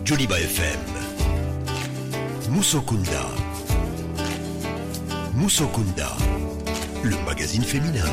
Joliba FM. Musokunda. Musokunda, le magazine féminin.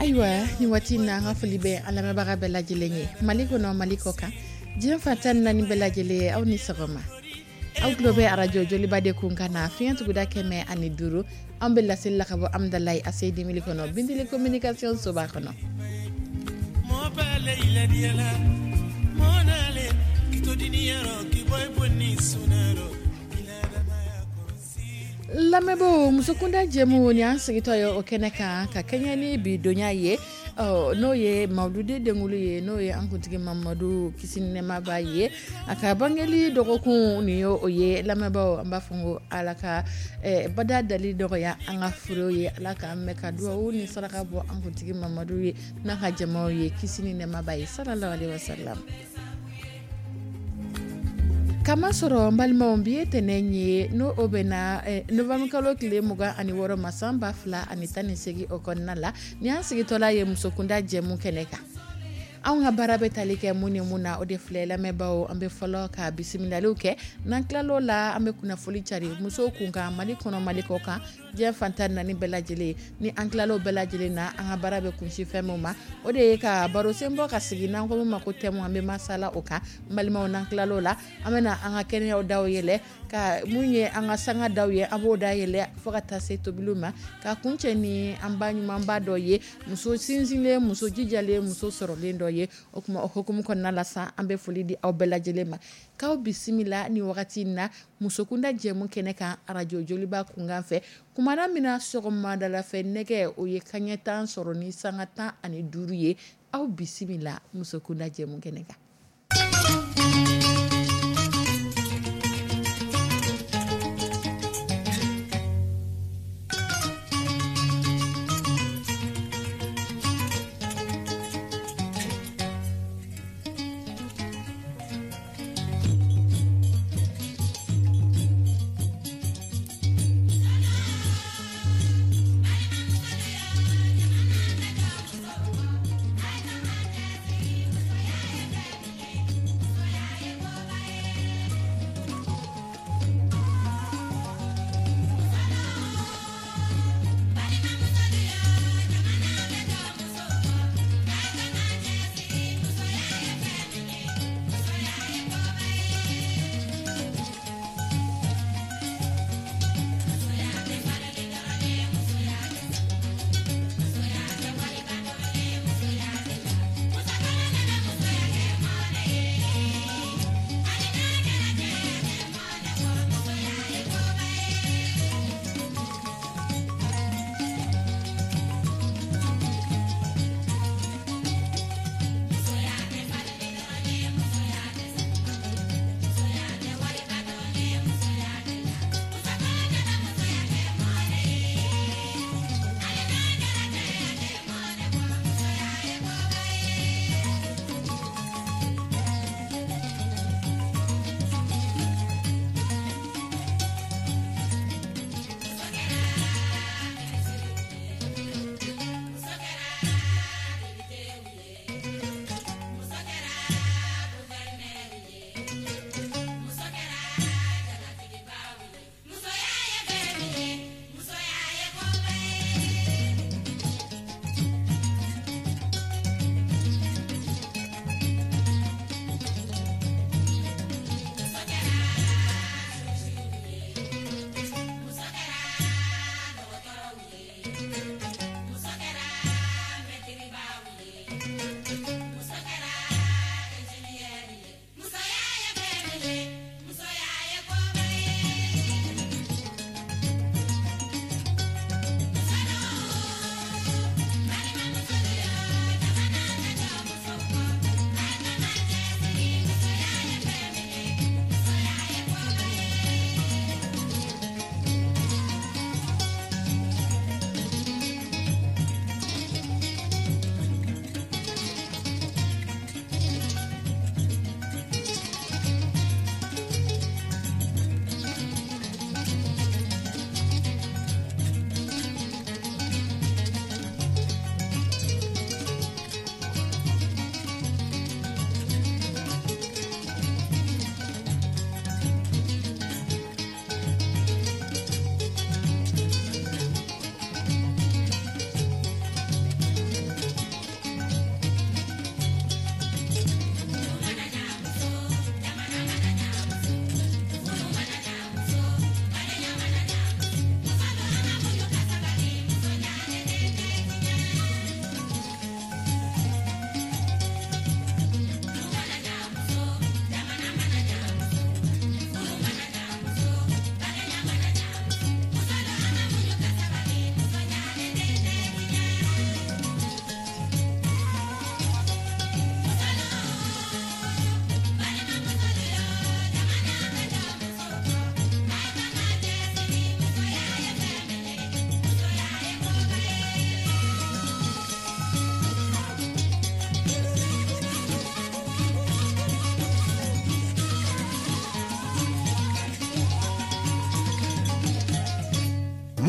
Ayiwa, ni waati in na, an ka foli bɛ an lamɛnbaga bɛɛ lajɛlen ye, Mali kɔnɔ, Mali kɔ kan, diɲɛ fan 14 bɛɛ lajɛlen. Aw ni sɔgɔma. Aw tulo bɛ arajo Joliba de kun kan na, fiɲɛ tuguda 105. An bɛ laseli la ka bɔ Amudalayi ACI mili kɔnɔ, Bintili communication soba kɔnɔ. Lamɛnbaaw, musokunda jɛmu ni an sigitɔ ye o kɛnɛ kan ka kɛɲɛ ni bi donya ye, n'o ye mawuludi denkuli ye, n'o ye an kuntigi Mamadu, kisi ni nɛɛma b'a ye, a ka bangeli dɔgɔkun nin ye o ye. Lamɛnbaaw, an b'a fɔ ko Ala ka bada dali dɔgɔya an ka furu ye, Ala k'an mɛn ka dugawu ni saraka bɔ an kuntigi Mamadu ye n'a ka jamaw ye, kisi ni nɛɛma b'a ye, sallallahu alaihi wasallam. Kamasɔrɔ n balimaw, bi ye tɛnɛn ye, n'o o bɛnna novembre kalo tile 26 ma, san 2018 o kɔnɔna la. Ni an sigitɔla ye musokunda jɛmu kɛnɛ kan, anw ka baara bɛ tali kɛ mun ni mun na, o de filɛ. Lamɛnbaaw, an bɛ fɔlɔ ka bisimilaliw kɛ. N'an tilal'o la, an bɛ kunnafoli cari musow kun kan, Mali kɔnɔ, Mali kɔ kan. Diɲɛ fan 14 bɛɛ lajɛlen. Ni an tilala o bɛɛ lajɛlen na, an ka baara bɛ kunsi fɛn min ma, o de ye ka baro sen bɔ ka sigi n'an ko min ma ko thème, an bɛ masala o kan. N balimaw, n'an tilala o la, an bɛna an ka kɛnɛyaw daw yɛlɛ, ka mun ye an ka sanga daw ye, an b'o da yɛlɛ fo ka taa se tobiliw ma, ka kuncɛ ni an ba ɲumanba dɔ ye, muso sinsinlen, muso jijalen, muso sɔrɔlen dɔ ye. O tuma, o hukumu kɔnɔna la sa, an bɛ foli di aw bɛɛ lajɛlen ma, k'aw bisimila ni wagati in na Musokunda jɛmu kɛnɛ kan, arajo Joliba kunkan fɛ. Kumana min na, sɔgɔmada fɛ nɛgɛ o ye kanɲɛ 10 sɔrɔ ni sanga 15 ye. Aw bisimila Musokunda jɛmu kɛnɛ kan.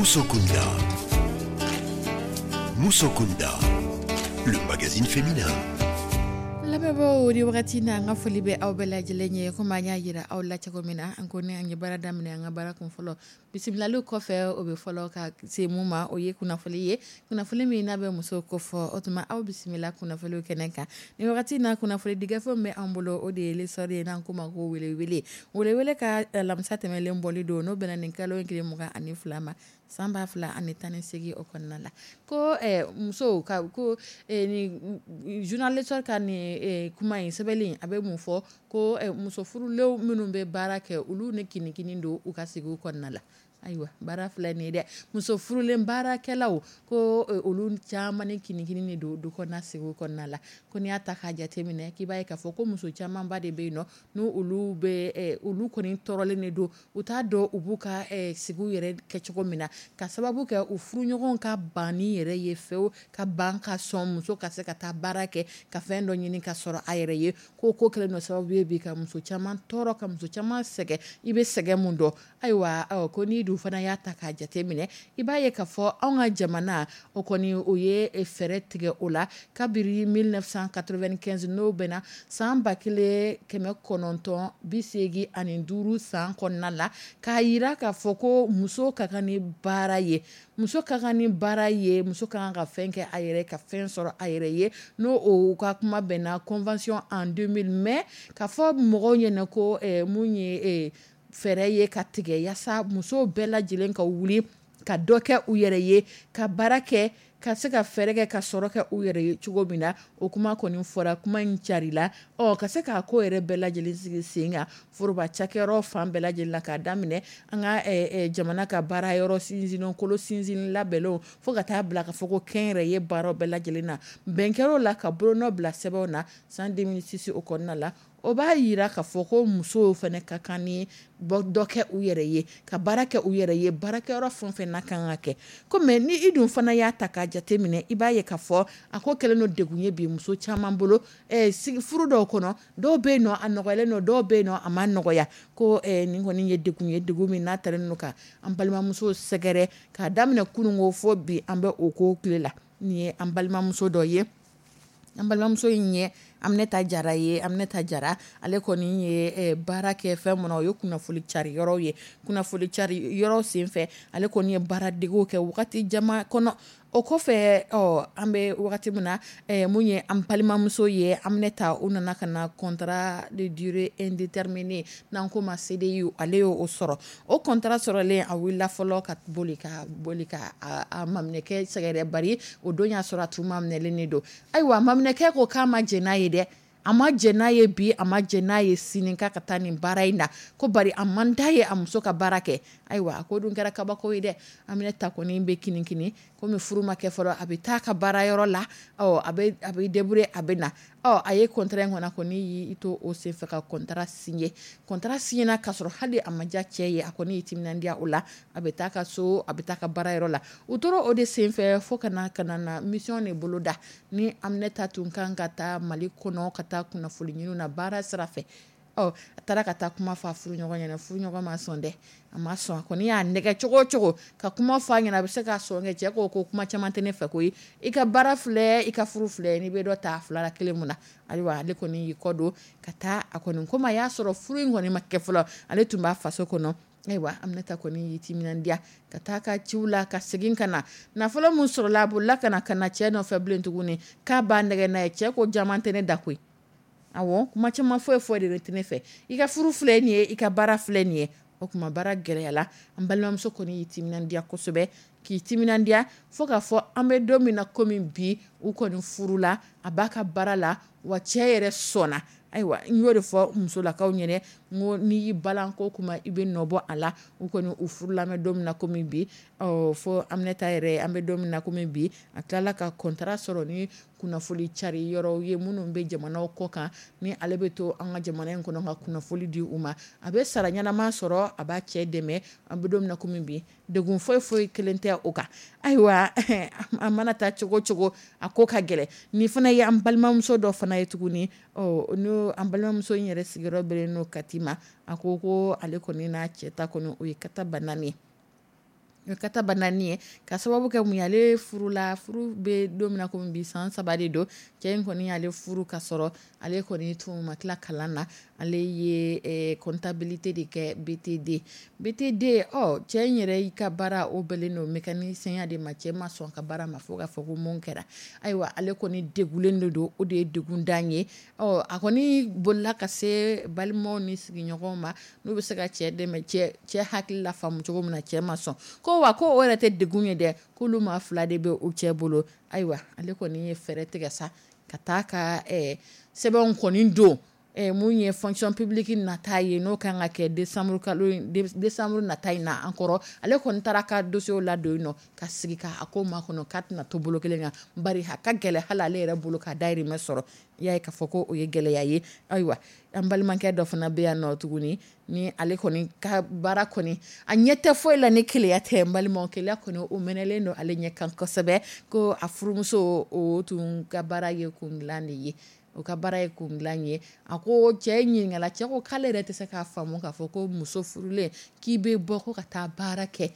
Musokunda. Musokunda, le magazine féminin. Lamɛnbaaw, ni wagati na, an ka foli bɛ aw bɛɛ lajɛlen ye. Komi an y'a jira aw la cogo min na, an ko ni an ye baara daminɛ, an ka baara kun fɔlɔ, bisimilali kɔfɛ, o bɛ fɔlɔ ka se mun ma, o ye kunnafoni ye, kunnafoni min n'a bɛ muso ko fɔ. O tuma, aw bisimila kunnafoni kɛnɛ kan. Ni wagati na, kunnafoni di gafe min bɛ an bolo, o de ye L'Essor ye, n'an k'o ma ko Welewele. Welewele ka alamisa tɛmɛnlen bɔli don, n'o bɛnna nin kalo in tile 22 ma, san 2018, o kɔnɔna la, ko musow ka ko ni journal L'Essor ka nin kuma in sɛbɛnlen, a bɛ mun fɔ? Ko muso furulenw minnu bɛ baara kɛ, olu ni kinikini don u ka sigi kɔnɔna la. Ayiwa, baara filɛ nin ye dɛ, muso furulen baarakɛlaw ko olu caman ni kinikini de don du kɔnɔna sigi kɔnɔna la. Ko n'i y'a ta k'a jateminɛ, k'i b'a ye k'a fɔ ko muso camanba de bɛ yen nɔ, n'u olu bɛ olu kɔni tɔɔrɔlen de don, u t'a dɔn u b'u ka sigi yɛrɛ kɛ cogo min na, ka sababu kɛ u furuɲɔgɔnw ka banni yɛrɛ ye fewu, ka ban ka sɔn muso ka se ka taa baara kɛ, ka fɛn dɔ ɲini ka sɔrɔ a yɛrɛ ye. Ko kɛlen don sababu ye bi ka muso caman tɔɔrɔ, ka muso caman sɛgɛn. I bɛ sɛgɛn mun dɔn? Ayiwa, ko n'i dun fana y'a ta k'a jateminɛ, i b'a ye k'a fɔ anw ka jamana, o kɔni o ye fɛɛrɛ tigɛ o la kabiri 1995, n'o bɛnna san 1985 san kɔnɔna la, k'a jira k'a fɔ ko muso ka kan ni baara ye, muso ka kan ni baara ye, muso ka kan ka fɛn kɛ a yɛrɛ, ka fɛn sɔrɔ a yɛrɛ ye. N'o o ka kuma bɛnna convention en 2000, mais k'a fɔ mɔgɔw ɲɛna ko mun ye fɛɛrɛ ye ka tigɛ yaasa musow bɛɛ lajɛlen ka wuli ka dɔ kɛ u yɛrɛ ye, ka baara kɛ, ka se ka fɛɛrɛ kɛ ka sɔrɔ kɛ u yɛrɛ ye cogo min na. O kuma kɔni fɔra, kuma in carila. Ɔ, ka se k'a ko yɛrɛ bɛɛ lajɛlen sigi sen kan foroba cakɛyɔrɔ fan bɛɛ lajɛlen la, k'a daminɛ an ka jamana ka baara yɔrɔ sinsin kolo sinsin labɛnw, fo ka taa bila ka fɔ ko kɛnyɛrɛye baara bɛɛ lajɛlen na, bɛn kɛra o la ka bolonɔ bila sɛbɛnw na san 2006 o kɔnɔna la. O b'a jira k'a fɔ ko musow fana ka kan ni dɔ kɛ u yɛrɛ ye, ka baara kɛ u yɛrɛ ye, baarakɛyɔrɔ fɛn fɛn n'a kan ka kɛ. Ko mais ni i dun fana y'a ta k'a jate minɛ, i b'a ye k'a fɔ a ko kɛlen don degun ye bi muso caman bolo furu dɔw kɔnɔ. Dɔw bɛ yen nɔ, a nɔgɔyalen don, dɔw bɛ yen nɔ, a ma nɔgɔya. Ko nin kɔni ye degun ye, degun min n'a talen don ka an balimamuso sɛgɛrɛ k'a daminɛ kununko fo bi, an bɛ o ko tile la. Nin ye an balimamuso dɔ ye, an balimamuso in ye Aminata Jara ye. Aminata Jara, ale kɔni ye baara kɛ fɛn min na, o ye kunnafoni cari yɔrɔ ye. Kunnafoni cari yɔrɔ senfɛ, ale kɔni ye baaradegew kɛ wagati jama kɔnɔ. O kɔfɛ, ɔ, an bɛ wagati min na, mun ye an balimamuso ye Aminata, u nana ka na contrat de durée indéterminée, n'an ko ma CDI, ale y'o sɔrɔ. O contrat sɔrɔlen, a wulila fɔlɔ ka boli ka boli ka a maminɛkɛ sɛgɛrɛ, bari o don y'a sɔrɔ a tun maminɛlen de don. Ayiwa, maminɛkɛ ko k'a ma jɛn n'a ye dɛ, a ma jɛn n'a ye bi, a ma jɛn n'a ye sini, k'a ka taa nin baara in na, ko bari a man d'a ye a muso ka baara kɛ. Ayiwa, a ko dun kɛra kabako ye dɛ. Aminata kɔni bɛ kinikini komi furu ma kɛ fɔlɔ, a bɛ taa ka baara yɔrɔ la, ɔ, a bɛ débrouiller, a bɛ na. Ɔ, a ye contrat in kɔni, kɔni y'i to o senfɛ ka contrat signé. Contrat signé na k'a sɔrɔ hali a ma diya cɛ ye, a kɔni y'i timinandiya o la, a bɛ taa ka so, a bɛ taa ka baara yɔrɔ la. U tora o de senfɛ fo ka na mission de boloda ni Aminata tun kan ka taa Mali kɔnɔ, ka taa kunnafoni ɲini na baara sira fɛ. Ɔ, a taara ka taa kuma fɔ a furuɲɔgɔn ɲɛna. Furuɲɔgɔn ma sɔn dɛ, a ma sɔn. A kɔni y'a nɛgɛ cogo o cogo ka kuma fɔ a ɲɛna, a bɛ se ka sɔn kɛ. Cɛ ko ko kuma caman tɛ ne fɛ koyi, i ka baara filɛ, i ka furu filɛ, n'i bɛ dɔ ta fila la kelen mun na. Ayiwa, ale kɔni y'i kɔ don ka taa. A kɔni komi a y'a sɔrɔ furu in kɔni ma kɛ fɔlɔ, ale tun b'a faso kɔnɔ. Ayiwa, Aminata kɔni y'i timinandiya ka taa ka ciw la, ka segin ka na. Nafolo min sɔrɔla, a bolila ka na cɛ nɔfɛ bilen tuguni, k'a b'a nɛgɛ n'a ye. Cɛ ko caman tɛ ne da koyi, awɔ, kuma caman foyi foyi de tɛ ne fɛ, i ka furu filɛ nin ye, i ka baara filɛ nin ye. O tuma, baara gɛlɛyala. An balimamuso kɔni y'i timinandiya kosɛbɛ, k'i timinandiya fo k'a fɔ an bɛ don min na komi bi, u kɔni furula, a b'a ka baara la, wa cɛ yɛrɛ sɔnna. Ayiwa, n y'o de fɔ musolakaw ɲɛna, n ko n'i y'i balan ko kuma, i bɛ nɔ bɔ a la. U kɔni u furula, an bɛ don min na komi bi. Ɔ, fo Aminata yɛrɛ, an bɛ don min na komi bi, a tilala ka contrat sɔrɔ ni kunnafoni cari yɔrɔw ye minnu bɛ jamanaw kɔ kan, ni ale bɛ to an ka jamana in kɔnɔ ka kunnafoni di u ma. A bɛ sara ɲɛnama sɔrɔ, a b'a cɛ dɛmɛ. An bɛ don min na komi bi, degun foyi foyi kelen tɛ o kan. Ayiwa, an mana taa cogo cogo, a ko ka gɛlɛn. Nin fana ye an balimamuso dɔ fana ye tuguni. Ɔ, n'o an balimamuso in yɛrɛ sigiyɔrɔ bɛnnen n'o Kati ma. A ko ko ale kɔni n'a cɛ ta kɔni, o ye kata banna ye. O kata banani ye ka sababu kɛ mun ye, ale furula, furu bɛ don min na komi bi, san 3 de don. Cɛ in kɔni y'ale furu ka sɔrɔ ale kɔni tun ma tila kalan na. Ale ye comptabilité de kɛ BTD. BTD, ɔ cɛ in yɛrɛ y'i ka baara o bɛnnen don mécanicien de ma. Cɛ ma sɔn ka baara ma fo k'a fɔ ko mun kɛra. Ayiwa, ale kɔni degulen de don, o de ye degun dan ye. Ɔ a kɔni bolila ka se balimaw ni sigiɲɔgɔnw ma, n'u bɛ se ka cɛ dɛmɛ, cɛ hakili la faamu cogo min na. Cɛ ma sɔn, ko wa ko o yɛrɛ tɛ degun ye dɛ, k'olu maa fila de bɛ u cɛ bolo. Ayiwa, ale kɔni ye fɛɛrɛ tigɛ sa ka taa ka sɛbɛnw kɔni don mun ye fonction publique nata ye, n'o kan ka kɛ décembre kalo, décembre nata in na an kɔrɔ. Ale kɔni taara ka dossier ladon yen nɔ ka sigi ka a ko makɔnɔ k'a tɛna to bolo kelen kan, bari a ka gɛlɛ hali ale yɛrɛ bolo ka dahirimɛ sɔrɔ. I y'a ye k'a fɔ ko o ye gɛlɛya ye. Ayiwa, an balimakɛ dɔ fana bɛ yan nɔ tuguni, ni ale kɔni ka baara kɔni, a ɲɛ tɛ foyi la ni keleya tɛ. N balimaw, keleya kɔni o mɛnɛlen don ale ɲɛ kan kosɛbɛ. Ko a furumuso o tun ka baara ye kun dilan de ye, o ka baara ye kun dilan ye. A ko cɛ ɲininkala, cɛ ko k'ale yɛrɛ tɛ se k'a faamu k'a fɔ ko muso furulen k'i bɛ bɔ ko ka taa baara kɛ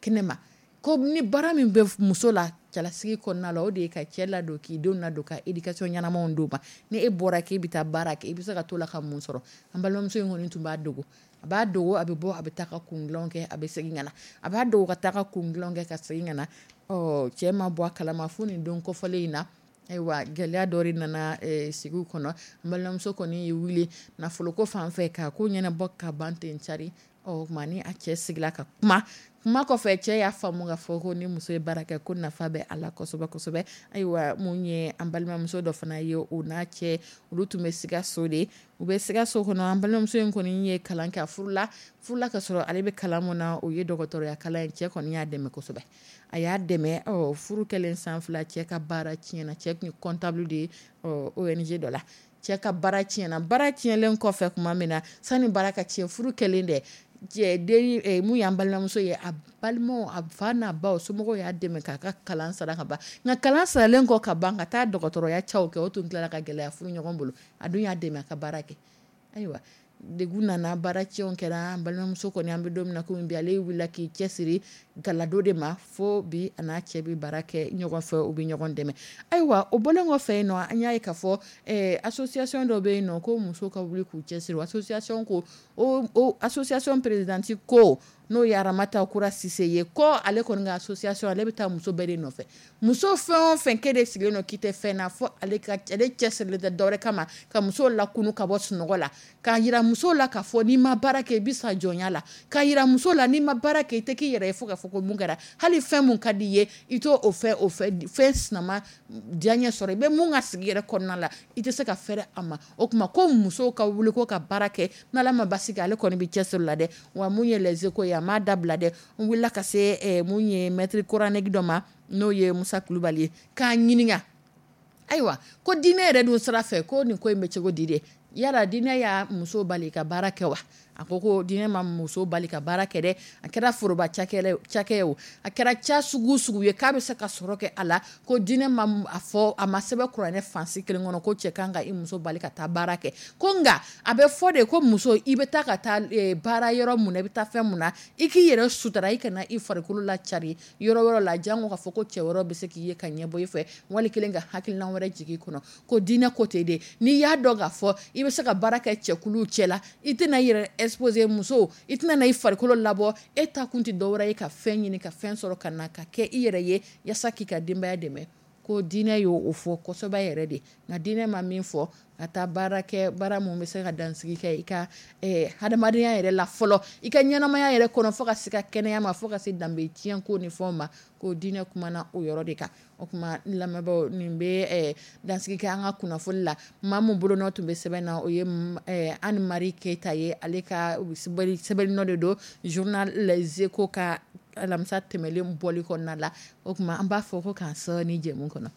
kɛnɛma, ko ni baara min bɛ muso la cɛlasigi kɔnɔna la, o de ye ka cɛ ladon, k'i denw ladon, ka éducation ɲɛnamaw d'u ma. Ni e bɔra k'e bɛ taa baara kɛ, i bɛ se ka to la ka mun sɔrɔ? An balimamuso in kɔni tun b'a dogo, a b'a dogo, a bɛ bɔ, a bɛ taa ka kun dilan kɛ, a bɛ segin ka na, a b'a dogo ka taa ka kun dilan kɛ ka segin ka na. Ɔ cɛ ma bɔ a kalama fo nin don kɔfɔlen in na. Ayiwa, gɛlɛya dɔ de nana sigi kɔnɔ. N balimamuso kɔni ye wuli nafoloko fan fɛ k'a ko ɲɛnabɔ ka ban ten cari. Ɔ tuma ni a cɛ sigila ka kuma, kuma kɔfɛ cɛ y'a faamu ka fɔ ko ni muso ye baara kɛ ko nafa bɛ a la kosɛbɛ kosɛbɛ. Ayiwa, mun ye an balimamuso dɔ fana ye, o n'a cɛ olu tun bɛ Sikaso de, u bɛ Sikaso kɔnɔ. An balimamuso in kɔni ye kalan kɛ, a furula ka sɔrɔ ale bɛ kalan mun na, o ye dɔgɔtɔrɔya kalan ye. Cɛ kɔni y'a dɛmɛ kosɛbɛ, a y'a dɛmɛ. Ɔ furu kɛlen san 2, cɛ ka baara tiɲɛna. Cɛ tun ye comptable de ye ONG dɔ la. Cɛ ka baara tiɲɛna. Baara tiɲɛlen kɔfɛ tuma min na, sani baara ka tiɲɛ, furu kɛlen dɛ, den mun y'an balimamuso ye, a balimaw, a fa n'a ba, somɔgɔw y'a dɛmɛ k'a ka kalan sara ka ban. Nka kalan saralen kɔ ka ban ka taa dɔgɔtɔrɔya caw kɛ, o tun tilala ka gɛlɛya furu ɲɔgɔn bolo. A dun y'a dɛmɛ a ka baara kɛ. Ayiwa, degun nana, baara tiɲɛw kɛra. An balimamuso kɔni, an bɛ don min na komi bi, ale wulila k'i cɛsiri galado de ma fo bi a n'a cɛ bɛ baara kɛ ɲɔgɔn fɛ, u bɛ ɲɔgɔn dɛmɛ. Ayiwa, o bɔlen kɔfɛ yen nɔ, an y'a ye k'a fɔ association dɔ bɛ yen nɔ ko musow ka wuli k'u cɛsiri. Association ko o association présidente ko, n'o ye Aramata Kura Sise ye, ko ale kɔni ka association, ale bɛ taa muso bɛɛ de nɔfɛ. Muso fɛn o fɛn k'e de sigilen don k'i tɛ fɛn na, fo ale ka ale cɛsirilen tɛ dɔwɛrɛ kama ka musow lakunu ka bɔ sunɔgɔ la, k'a yira musow la k'a fɔ n'i ma baara kɛ i bɛ sa jɔnya la, k'a yira muso la n'i ma baara kɛ i tɛ k'i yɛrɛ ye fo k'a fɔ ko mun kɛra, hali fɛn mun ka di i ye i t'o o fɛn sinama diyaɲɛ sɔrɔ, i bɛ mun ka sigi yɛrɛ kɔnɔna la i tɛ se ka fɛrɛ a ma. O tuma ko musow ka wuli ko ka baara kɛ, n'Ala ma basi kɛ ale kɔni bɛ cɛsiri la dɛ. Wa mun ye Les Échos ye, a m'a dabila dɛ. N wulila ka se mun ye maître coranique dɔ ma, n'o ye Musa Kulubali ye, k'a ɲininka, ayiwa, ko diinɛ yɛrɛ dun sira fɛ ko nin ko in bɛ cogo di dɛ? Yala diinɛ y'a muso bali ka baara kɛ wa? A ko ko diinɛ ma muso bali ka baara kɛ dɛ. A kɛra foroba cakɛ o, a kɛra ca sugu sugu ye k'a bɛ se ka sɔrɔ kɛ a la, ko diinɛ ma a fɔ, a ma sɛbɛn kuranɛ fansi kelen kɔnɔ ko cɛ kan ka i muso bali ka taa baara kɛ. Ko nka a bɛ fɔ de ko muso, i bɛ taa ka taa baara yɔrɔ mun na, i bɛ taa fɛn mun na, i k'i yɛrɛ sutura, i kana i farikolo lacari yɔrɔ wɛrɛ la, jango k'a fɔ ko cɛ wɛrɛ bɛ se k'i ye ka ɲɛbɔ i fɛ, wali kelen ka hakilina wɛrɛ jigin i kɔnɔ. Ko diinɛ ko tɛ de, n'i y'a dɔn k'a fɔ i bɛ se ka baara kɛ cɛkulu cɛ la, i tɛna i yɛrɛ exposer muso, i tɛna na i farikolo labɔ, e ta kun tɛ dɔwɛrɛ ye ka fɛn ɲini ka fɛn sɔrɔ ka na ka kɛ i yɛrɛ ye yaasa k'i ka denbaya dɛmɛ. Ko diinɛ y'o fɔ kosɛbɛ yɛrɛ de. Nka diinɛ ma min fɔ, ka taa baara kɛ, baara mun bɛ se ka dansigi kɛ i ka hadamadenya yɛrɛ la fɔlɔ, i ka ɲɛnamaya yɛrɛ kɔnɔ, fo ka se ka kɛnɛya ma, fo ka se danbe tiɲɛ ko ni fɛnw ma, ko diinɛ kumana o yɔrɔ de kan. O tuma n lamɛnbaaw, nin bɛ dansigi kɛ an ka kunnafoni la. Maa min bolonɔ tun bɛ sɛbɛn na, o ye Anne Marie Keyita ye, ale ka sɛbɛnni nɔ de don journal Les Échos ka alamisa tɛmɛlen bɔli kɔnɔna la. O tuma an b'a fɔ ko k'an sɔɔni jɛmu kɔnɔ.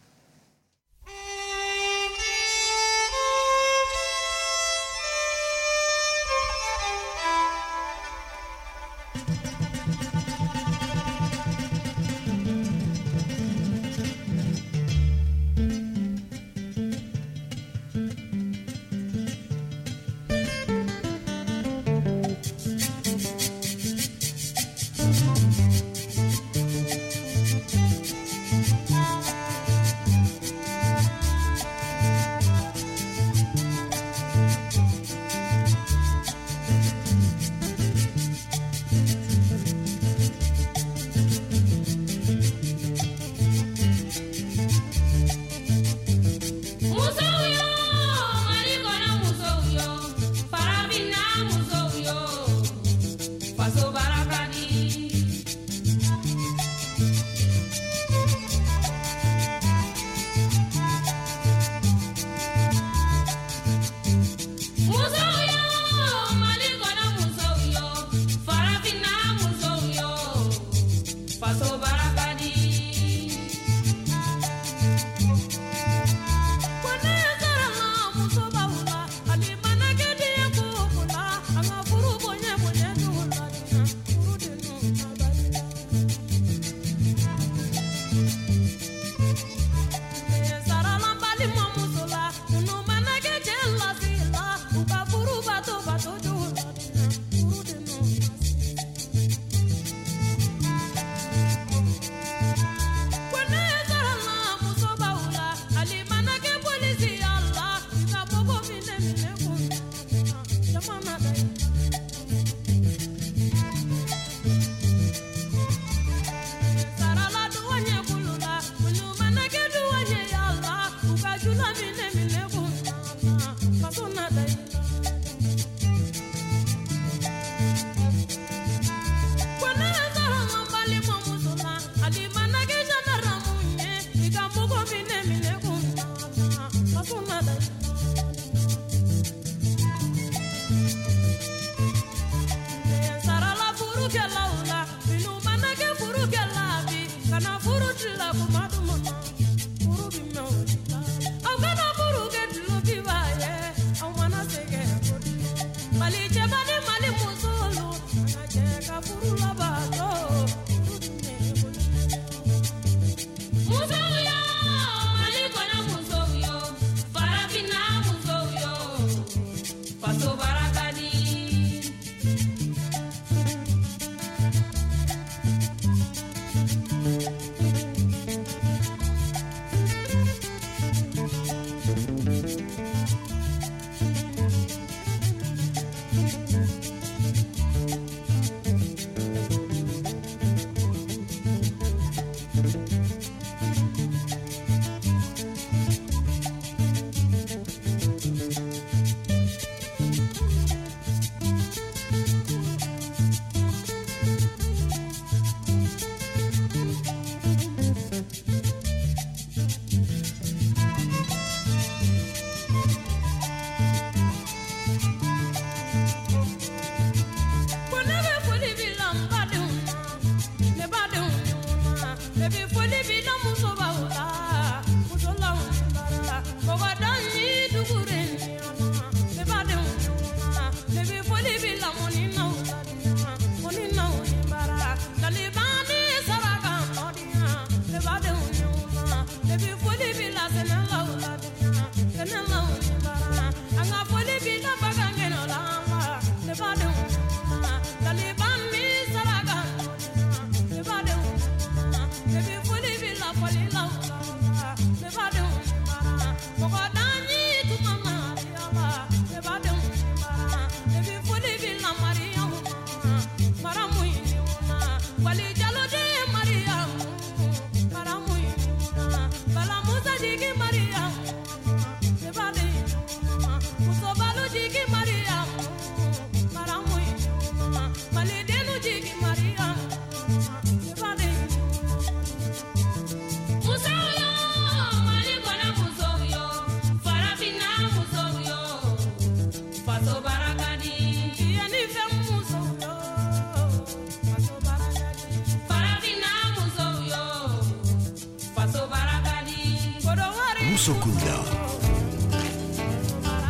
Musokunda.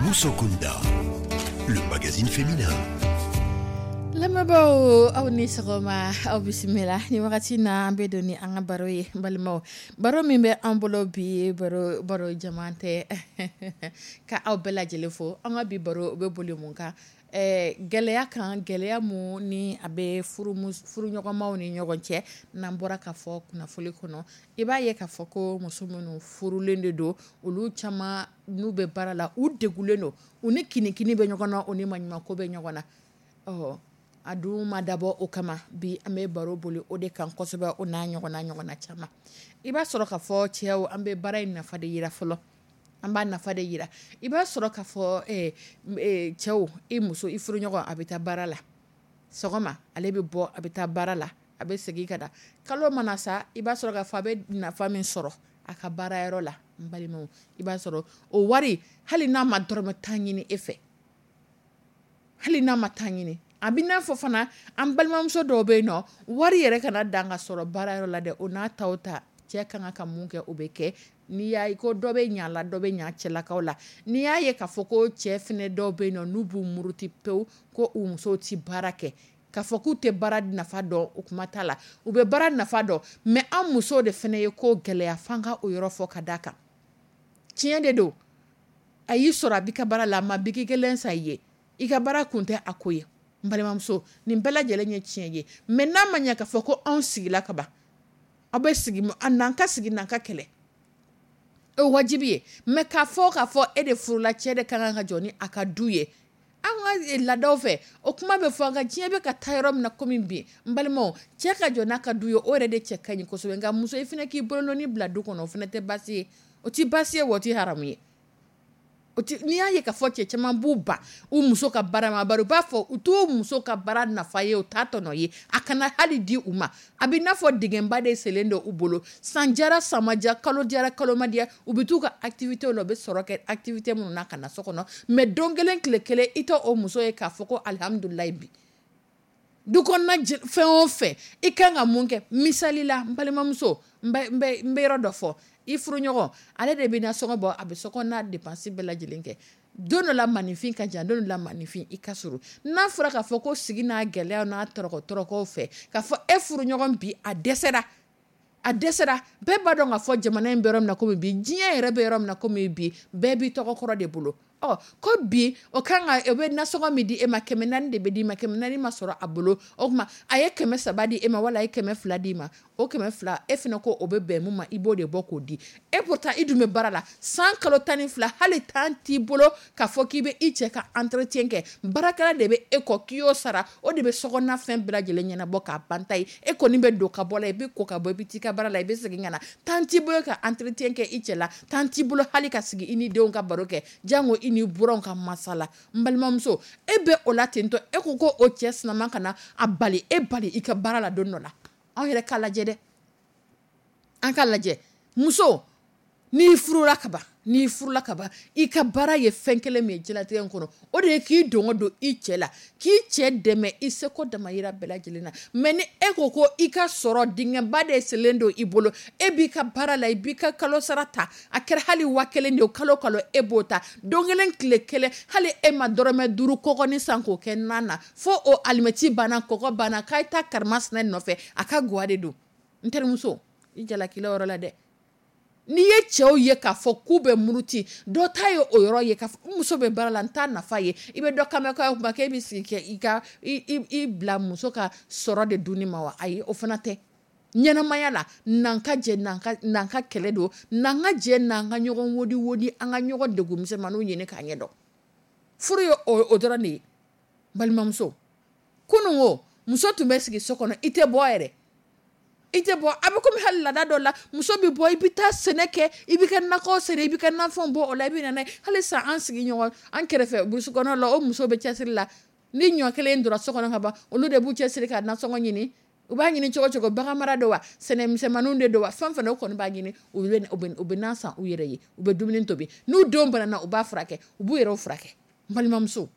Musokunda, le magazine féminin. Lamɛnbaaw, aw ni sɔgɔma, aw bisimila. Ni wagati na, an bɛ don ni an ka baro ye. N balimaw, baro min bɛ an bolo bi, baro jama tɛ ka aw bɛɛ lajɛlen fo. An ka bi baro bɛ boli mun kan? Gɛlɛya kan, gɛlɛya mun ni a bɛ furuɲɔgɔnmaw ni ɲɔgɔn cɛ, n'an bɔra ka fɔ kunnafoni kɔnɔ, i b'a ye k'a fɔ ko muso minnu furulen de don, olu caman n'u bɛ baara la, u degulen don, u ni kinikini bɛ ɲɔgɔn na, u ni maɲumanko bɛ ɲɔgɔn na. Ɔ a dun ma dabɔ o kama, bi an bɛ baro boli o de kan kosɛbɛ, o n'a ɲɔgɔnna caman. I b'a sɔrɔ k'a fɔ cɛw, an bɛ baara in nafa de yira fɔlɔ, an b'a nafa de yira. I b'a sɔrɔ k'a fɔ cɛw, i muso, i furuɲɔgɔn, a bɛ taa baara la sɔgɔma, ale bɛ bɔ, a bɛ taa baara la, a bɛ segin ka na. Kalo mana sa, i b'a sɔrɔ k'a fɔ a bɛ nafa min sɔrɔ a ka baarayɔrɔ la, n balimaw, i b'a sɔrɔ o wari, hali n'a ma dɔrɔmɛ 10 ɲini e fɛ, hali n'a ma 10 ɲini, a bɛ n'a fɔ fana an balimamuso dɔw bɛ yen nɔ, wari yɛrɛ kana dan ka sɔrɔ baarayɔrɔ la dɛ, o n'a ta o ta, cɛ ka kan ka mun kɛ, o bɛ kɛ. N'i y'a ye ko dɔ bɛ ɲa la, dɔ bɛ ɲa cɛlakaw la. N'i y'a ye k'a fɔ ko cɛ fɛnɛ dɔw bɛ yen nɔ, n'u b'u muruti pewu ko u musow tɛ baara kɛ, k'a fɔ k'u tɛ baara nafa dɔn, o kuma t'a la, u bɛ baara nafa dɔn, mais an musow de fɛnɛ ye ko gɛlɛya f'an ka o yɔrɔ fɔ ka d'a kan. Tiɲɛ de don, a y'i sɔrɔ a b'i ka baara la, a ma biki kelen san i ye, i ka baara kun tɛ a ko ye. N balimamuso, nin bɛɛ lajɛlen ye tiɲɛ ye, mais n'a ma ɲɛ k'a fɔ ko anw sigila ka ban, aw bɛ sigi, n'an ka sigi n'an ka kɛlɛ, o wajibi ye. Mais k'a fɔ e de furula, cɛ de ka kan ka jɔ ni a ka du ye, an ka laadaw fɛ, o kuma bɛ fɔ, an ka diɲɛ bɛ ka taa yɔrɔ min na komi bi, n balimaw, cɛ ka jɔ n'a ka du ye, o yɛrɛ de cɛ ka ɲi kosɛbɛ. Nka muso, i fana k'i bolonɔni bila du kɔnɔ, o fana tɛ baasi ye, o tɛ baasi ye, wa o tɛ haramu ye. N'i y'a ye k'a fɔ cɛ caman b'u ban u muso ka baara ma, bari u b'a fɔ u t'u muso ka baara nafa ye, u t'a tɔnɔ ye, a kana hali di u ma. A bɛ n'a fɔ dingɛba de selen don u bolo, san jara san ma diya, kalo jara kalo ma diya, u bɛ t'u ka activité la, u bɛ sɔrɔ kɛ activité minnu na ka na so kɔnɔ, mais don kelen tile kelen i tɛ o muso ye k'a fɔ ko alihamudulilayi bi. Du kɔnɔna fɛn o fɛn i kan ka mun kɛ, misali la, n balimamuso, n bɛ yɔrɔ dɔ fɔ, i furuɲɔgɔn, ale de bɛ nasɔngɔ bɔ, a bɛ sokɔnɔna dépense bɛɛ lajɛlen kɛ. Don dɔ la maninfin ka jan, don dɔ la maninfin i ka surun. N'a fɔra k'a fɔ ko sigi n'a gɛlɛya n'a tɔrɔkɔ fɛ, k'a fɔ e furuɲɔgɔn bi a dɛsɛra, a dɛsɛra, bɛɛ b'a dɔn k'a fɔ jamana in bɛ yɔrɔ min na komi bi, diɲɛ yɛrɛ bɛ yɔrɔ min na komi bi, bɛɛ b'i tɔgɔ kɔrɔ de bolo. Ɔ ko bi o kan ka o bɛ nasɔngɔ min di e ma, 400 de bɛ d'i ma, 400 ma sɔrɔ a bolo, o tuma a ye 300 di e ma wala a ye 200 d'i ma, o 200 e fana ko o bɛ bɛn mun ma, i b'o de bɔ k'o di. E pourtant i dun bɛ baara la san kalo 12, hali temps t'i bolo k'a fɔ k'i bɛ i cɛ ka entretien kɛ, baarakɛla de bɛ e kɔ k'i y'o sara, o de bɛ sokɔnɔna fɛn bɛɛ lajɛlen ɲɛnabɔ k'a ban ta ye. E kɔni bɛ don ka bɔ la, i bɛ ko ka bɔ, i bɛ t'i ka baara la, i bɛ segin ka na, temps t'i bolo ka entretien kɛ i cɛ la, temps t'i bolo hali ka sigi i ni denw ka baro kɛ, jango i ni buranw ka masala. N balimamuso, e bɛ o la ten tɔ, e ko ko o cɛ sinama ka na a bali, e bali i ka baara la don dɔ la. Anw yɛrɛ k'a lajɛ dɛ, an k'a lajɛ. Muso, n'i furula ka ban, n'i furula ka ban, i ka baara ye fɛn kelen min ye diɲɛlatigɛ in kɔnɔ, o de ye k'i dɔngɔ don i cɛ la, k'i cɛ dɛmɛ i seko damayira bɛɛ lajɛlen na. Mais ni e ko ko i ka sɔrɔ dingɛba de selen don i bolo, e b'i ka baara la, i b'i ka kalo sara ta, a kɛra hali 1000 de ye, kalo kalo e b'o ta, don kelen tile kelen, hali e ma dɔrɔmɛ 5 kɔgɔnin san k'o kɛ nan na, fo o alimɛti banna, kɔgɔ banna, k'a ye taa karimasina nɔfɛ, a ka gwa de don. N terimuso, i jalakila yɔrɔ la dɛ. N'i ye cɛw ye k'a fɔ k'u bɛ muruti, dɔ ta ye o yɔrɔ ye k'a fɔ n muso bɛ baara la, n t'a nafa ye. I bɛ dɔ kan mɛn k'a kuma k'e bɛ sigi kɛ i ka i bila muso ka sɔrɔ de dunni ma wa? Ayi, o fana tɛ. Ɲɛnamaya la, n'an ka jɛ, n'an ka kɛlɛ don, n'an ka jɛ, n'an ka ɲɔgɔn wodi wodi, an ka ɲɔgɔn degun misɛnmaninw ɲini k'a ɲɛ dɔn. Furu ye o dɔrɔn de ye. Balimamuso, kunun o, muso tun bɛ sigi so kɔnɔ, i tɛ bɔ yɛrɛ. I tɛ bɔ, a bɛ komi hali laada dɔ la, muso bɛ bɔ, i bɛ taa sɛnɛ kɛ, i bɛ ka nakɔ sɛnɛ, i bɛ ka nafɛnw bɔ o la, i bɛ na n'a ye. Hali sisan an sigi ɲɔgɔn, an kɛrɛfɛ burusi kɔnɔ la, o muso bɛ cɛsiri la. Ni ɲɔ kelen donna so kɔnɔ ka ban, olu de b'u cɛsiri ka nasɔngɔ ɲini. U b'a ɲini cogo cogo, bagan mara don wa, sɛnɛ misɛnmaninw de don wa, fɛn fɛn o kɔni b'a ɲini, u bɛ nan san u yɛrɛ ye, u bɛ dumuni tobi. N'u denw banana, u b'a furakɛ, u b'u yɛrɛw furakɛ. N balimamuso,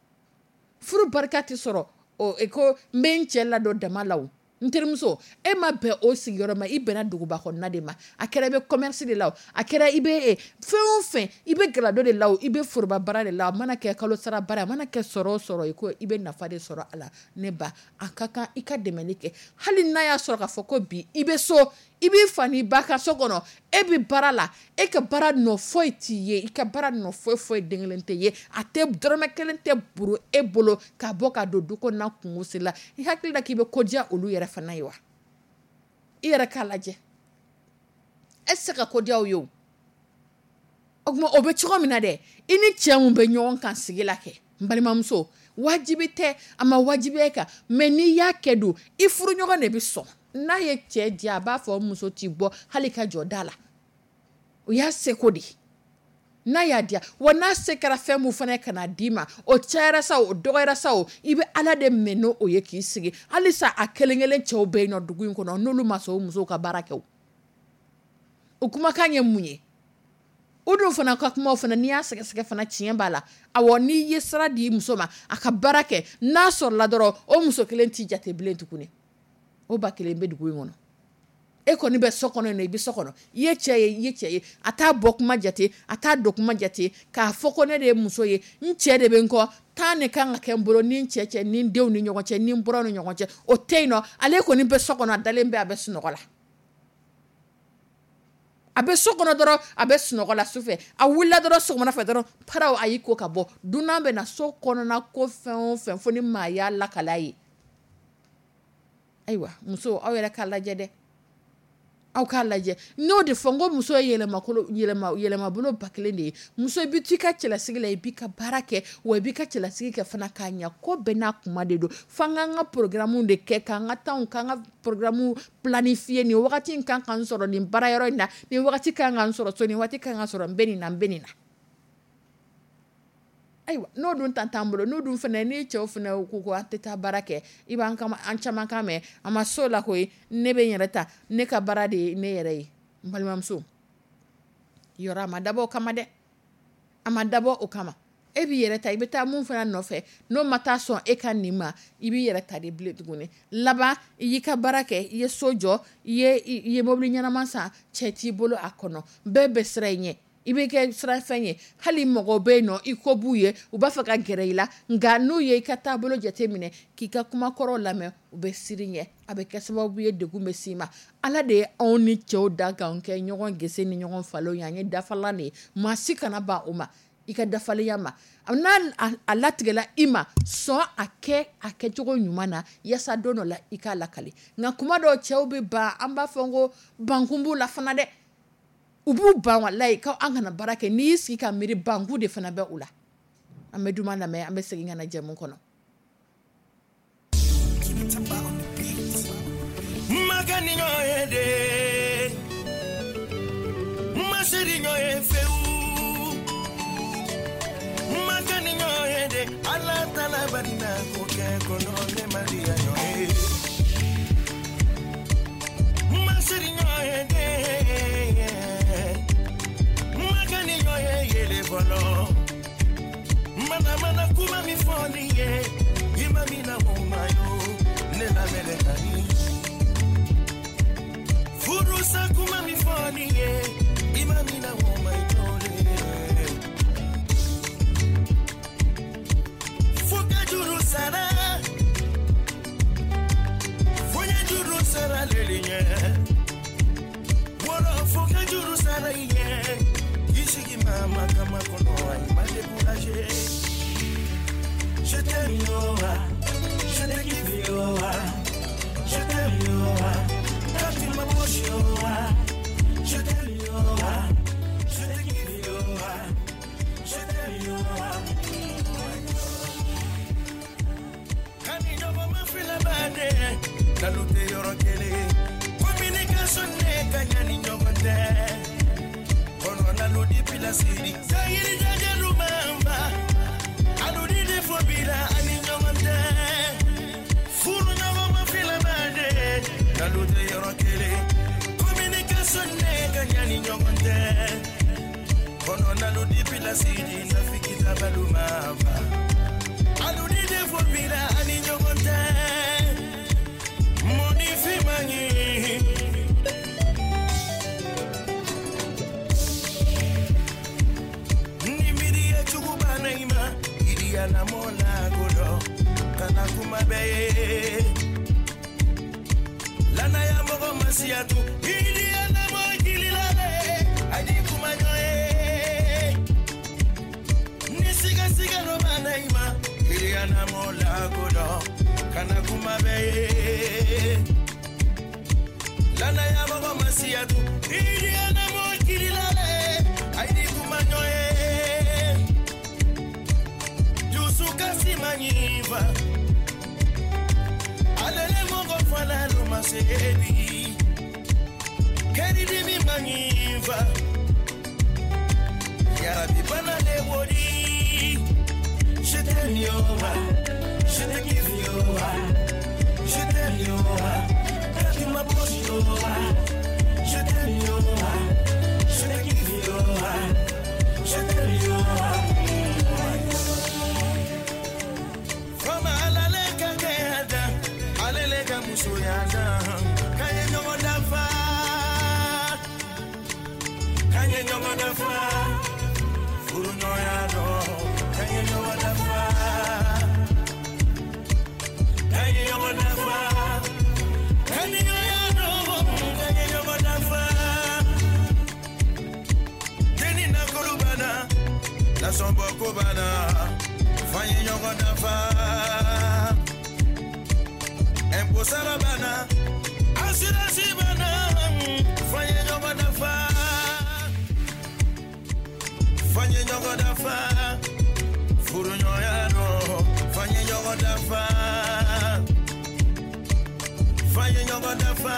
furu barika tɛ sɔrɔ o ko n bɛ n cɛ ladon dama la o. N terimuso, e ma bɛn o sigiyɔrɔ ma, i bɛnna duguba kɔnɔna de ma. A kɛra i bɛ commerce de la o, a kɛra i bɛ fɛn o fɛn, i bɛ galado de la o, i bɛ foroba baara de la o, a mana kɛ kalo sara baara, a mana kɛ sɔrɔ o sɔrɔ ye, ko i bɛ nafa de sɔrɔ a la. Ne ba, a ka kan i ka dɛmɛli kɛ. Hali n'a y'a sɔrɔ k'a fɔ ko bi i bɛ so, I b'i fa n'i ba ka so kɔnɔ, e bɛ baara la, e ka baara nɔ foyi t'i ye, i ka baara nɔ foyi foyi den kelen tɛ ye, a tɛ dɔrɔmɛ kelen tɛ buru e bolo ka bɔ ka don du kɔnɔna kungo si la. I hakili la k'i bɛ ko diya olu yɛrɛ fana ye wa? I yɛrɛ k'a lajɛ, e tɛ se ka ko diya o ye o. O tuma o bɛ cogo min na dɛ, i ni cɛ mun bɛ ɲɔgɔn kan sigi la kɛ, n balimamuso, wajibi tɛ, a ma wajibiya e kan, mais n'i y'a kɛ don, i furuɲɔgɔn de bɛ sɔn. N'a ye cɛ diya, a b'a fɔ muso t'i bɔ hali ka jɔ da la. O y'a seko de ye. N'a y'a diya, wa n'a se kɛra fɛn mun fana ye ka na d'i ma, o cayara sa o, o dɔgɔyara sa o, i bɛ Ala de minɛ n'o o ye k'i sigi. Halisa a kelen kelen cɛw bɛ yen nɔ dugu in kɔnɔ, n'olu ma sɔn o musow ka baara kɛ o. O kumakan ye mun ye? O dun fana ka kumaw fana, n'i y'a sɛgɛsɛgɛ fana, tiɲɛ b'a la. Awɔ, n'i ye sira di muso ma a ka baara kɛ, n'a sɔrɔla dɔrɔn o muso kelen t'i jate bilen tuguni. O ba kelen bɛ dugu in kɔnɔ. E kɔni bɛ so kɔnɔ yen nɔ, i bɛ so kɔnɔ, i ye cɛ ye, i ye cɛ ye, a t'a bɔ kuma jate, a t'a don kuma jate, k'a fɔ ko ne de ye muso ye, n cɛ de bɛ n kɔ, temps de kan ka kɛ n bolo ni n cɛ cɛ, ni n denw ni ɲɔgɔn cɛ, ni n buranw ni ɲɔgɔn cɛ, o tɛ yen nɔ. Ale kɔni bɛ so kɔnɔ, a dalen bɛ, a bɛ sunɔgɔ la. A bɛ so kɔnɔ dɔrɔn, a bɛ sunɔgɔ la sufɛ, a wulila dɔrɔn sɔgɔmada fɛ dɔrɔn, paraw, a y'i ko ka bɔ. Dunan bɛ na so kɔnɔna ko fɛn o fɛn fo ni maa y'a lakala ye. Ayiwa, muso, aw yɛrɛ k'a lajɛ dɛ, aw k'a lajɛ. N'o de fɔ n ko muso ye yɛlɛmakolo, yɛlɛma, yɛlɛmabolo ba kelen de ye. Muso, i bɛ t'i ka cɛlasigi la, i b'i ka baara kɛ, wa i b'i ka cɛlasigi kɛ fana k'a ɲɛ. Ko bɛɛ n'a kuma de don. F'an k'an ka programme de kɛ, k'an ka temps, k'an ka programme planifier. Nin wagati in kan ka n sɔrɔ nin baara yɔrɔ in na, nin wagati kan ka n sɔrɔ so, nin waati kan ka sɔrɔ n bɛ nin na, n bɛ nin na. Ayiwa, n'o dun ta t'an bolo, n'o dun fana, ni cɛw fana ko ko an tɛ taa baara kɛ, i b'an kama, an caman kan mɛn, a ma s'o la koyi, ne bɛ n yɛrɛ ta, ne ka baara de ye ne yɛrɛ ye. N balimamuso, yɔrɔ a ma dabɔ o kama dɛ, a ma dabɔ o kama. E b'i yɛrɛ ta, i bɛ taa mun fana nɔfɛ, n'o ma taa sɔn e ka nin ma, i b'i yɛrɛ ta de bilen tuguni. Laban, i y'i ka baara kɛ, i ye so jɔ, i ye mobili ɲɛnama san, cɛ t'i bolo a kɔnɔ, bɛɛ bɛ siran i ɲɛ. I bɛ kɛ sirafɛn ye, hali mɔgɔw bɛ yen nɔ, i ko b'u ye, u b'a fɛ ka gɛrɛ i la, nka n'u ye i ka taabolo jate minɛ, k'i ka kumakɔrɔw lamɛn, u bɛ siran i ɲɛ. A bɛ kɛ sababu ye degun bɛ s'i ma. Ala de ye anw ni cɛw da k'anw kɛ ɲɔgɔn gese ni ɲɔgɔn falen ye, an ye dafalan de ye. Maa si kana ban o ma, i ka dafalenya ma. N'a a latigɛla i ma, sɔn a kɛ a kɛcogo ɲuman na, yaasa don dɔ la i k'a lakale. Nka kuma dɔw cɛw bɛ ban, an b'a fɔ ko bankun b'u la fana dɛ. U b'u ban walayi k'an kana baara kɛ. N'i y'i sigi ka miiri, bankun de fana bɛ u la. An bɛ duman lamɛn, an bɛ segin ka na jɛmu kɔnɔ. Makani ɲɔgɔn ye de, masiri ɲɔgɔn ye fewu. Makani ɲɔgɔn ye de, Ala tala barina ko kɛ kɔnɔ ne ma diya ɲɔgɔn ye. Masiri ɲɔgɔn ye de, makani ɲɔgɔn ye yele fɔlɔ. Mana mana kuma min fɔ nin ye, i ma min na o ma yo, ne lamɛnɛ ka di. Furusa kuma min fɔ nin ye, i ma min na o ma yo le. Fo ka juru sara, fo n ye juru sara lele ɲɛ. Wɔlɔ fo ka juru sara i ɲɛ. I sigi maa ma kama kɔnɔ, ayi ma découragé. Je t'aime yo, ah. Je te kiffe yo, ah. Je t'aime yo, ah. Quand tu m'approches yo, ah. Je t'aime yo, ah. Je te kiffe yo, ah. Je t'aime yo, ah. Kani ɲɔgɔn ma fila baden, dalu tɛ yɔrɔ kelen. Communication ne ka ɲa ni ɲɔgɔn tɛ. Kɔnɔ nalo di pilasiri, sayiri jajalu mamba. Alu di defo bila ani ɲɔgɔn tɛ. Furu ɲɔgɔn ma fila baden, dalu tɛ yɔrɔ kelen. Communication ne ka ɲa ni ɲɔgɔn tɛ. Kɔnɔ nalo di pilasiri, nafiki tabalu mamba. Alu di defo bila ani ɲɔgɔn tɛ. Mɔni finman ye. Ni miiri ye jugu banna i ma, i di ala mɔ la ko dɔ, kana kuma bɛɛ ye. Lanaya mɔgɔ ma Masiyatu ili anamo kililale aidi kumanyoe Nisiga siga no manaima ili anamo lakodo kana kumabeye Lana ya baba masiyatu ili anamo kililale aidi kumanyoe Jusuka simanyiva Alele mongo fana no masebi Keri dimi manyiva Yarabi bana le wodi. Je t'aime yo, je te kiffe yo, je t'aime yo, quand tu m'approches yo, je t'aime yo, je te kiffe yo, je t'aime yo. Fama alale ka kɛ da, alele ka musoya da, k'an ye ɲɔgɔn dafa, k'an ye ɲɔgɔn dafa, furuɲɔgɔnya dɔn, k'an ye ɲɔgɔn dafa, k'an ye ɲɔgɔn dafa, kaniɲɔgɔnya dɔn, k'an ye ɲɔgɔn dafa. Deni nakolo banna, nasɔnbɔ ko banna, f'an ye ɲɔgɔn dafa. Impôt sara banna, assurance banna, f'an ye ɲɔgɔn dafa. F'an ye ɲɔgɔn dafa, furuɲɔgɔnya dɔn, f'an ye ɲɔgɔn dafa. F'an ye ɲɔgɔn dafa,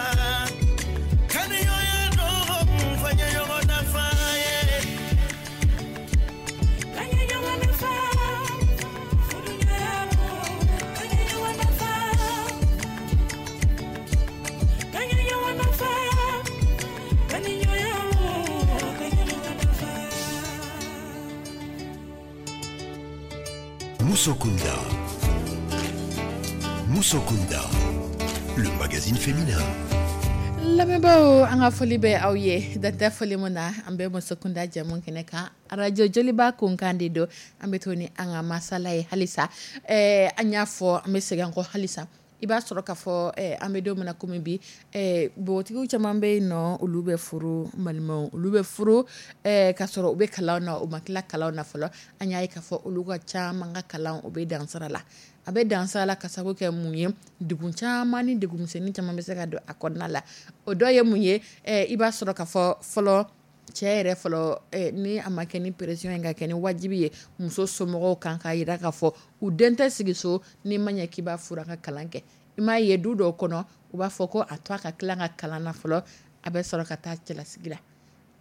kaniɲɔgɔnya dɔn, f'an ye ɲɔgɔn dafa. Yeah. Kanye ɲɔgɔn dafa, furuɲɔgɔnya don. Kanye ɲɔgɔn dafa, kanye ɲɔgɔn dafa, kaniɲɔgɔnya don. Kanye ɲɔgɔn dafa. Musokunda. Musokunda, le magazine féminin. Lamɛnbaaw, an ka foli bɛ aw ye dan tɛ foli min na. An bɛ Musokunda jamu kɛnɛ kan, arajo Joliba kunkan de don. An bɛ to ni an ka masala ye halisa. An y'a fɔ, an bɛ segin an kɔ halisa. I b'a sɔrɔ k'a fɔ an bɛ don min na komi bi, npogotigiw caman bɛ yen nɔ, olu bɛ furu, n balimaw, olu bɛ furu k'a sɔrɔ u bɛ kalan na, u ma tila kalan na fɔlɔ. An y'a ye k'a fɔ olu ka caman ka kalan o bɛ dansira la. A bɛ dansira la ka sababu kɛ mun ye? Degun caman ni degun misɛnnin caman bɛ se ka don a kɔnɔna la. O dɔ ye mun ye? I b'a sɔrɔ k'a fɔ fɔlɔ cɛ yɛrɛ fɔlɔ, ni a ma kɛ ni pression ye ka kɛ ni wajibi ye muso somɔgɔw kan k'a jira k'a fɔ u den tɛ sigi so n'i ma ɲɛ k'i b'a furu a ka kalan kɛ. I m'a ye du dɔw kɔnɔ, u b'a fɔ ko a to a ka tila ka kalan na fɔlɔ, a bɛ sɔrɔ ka taa cɛlasigi la.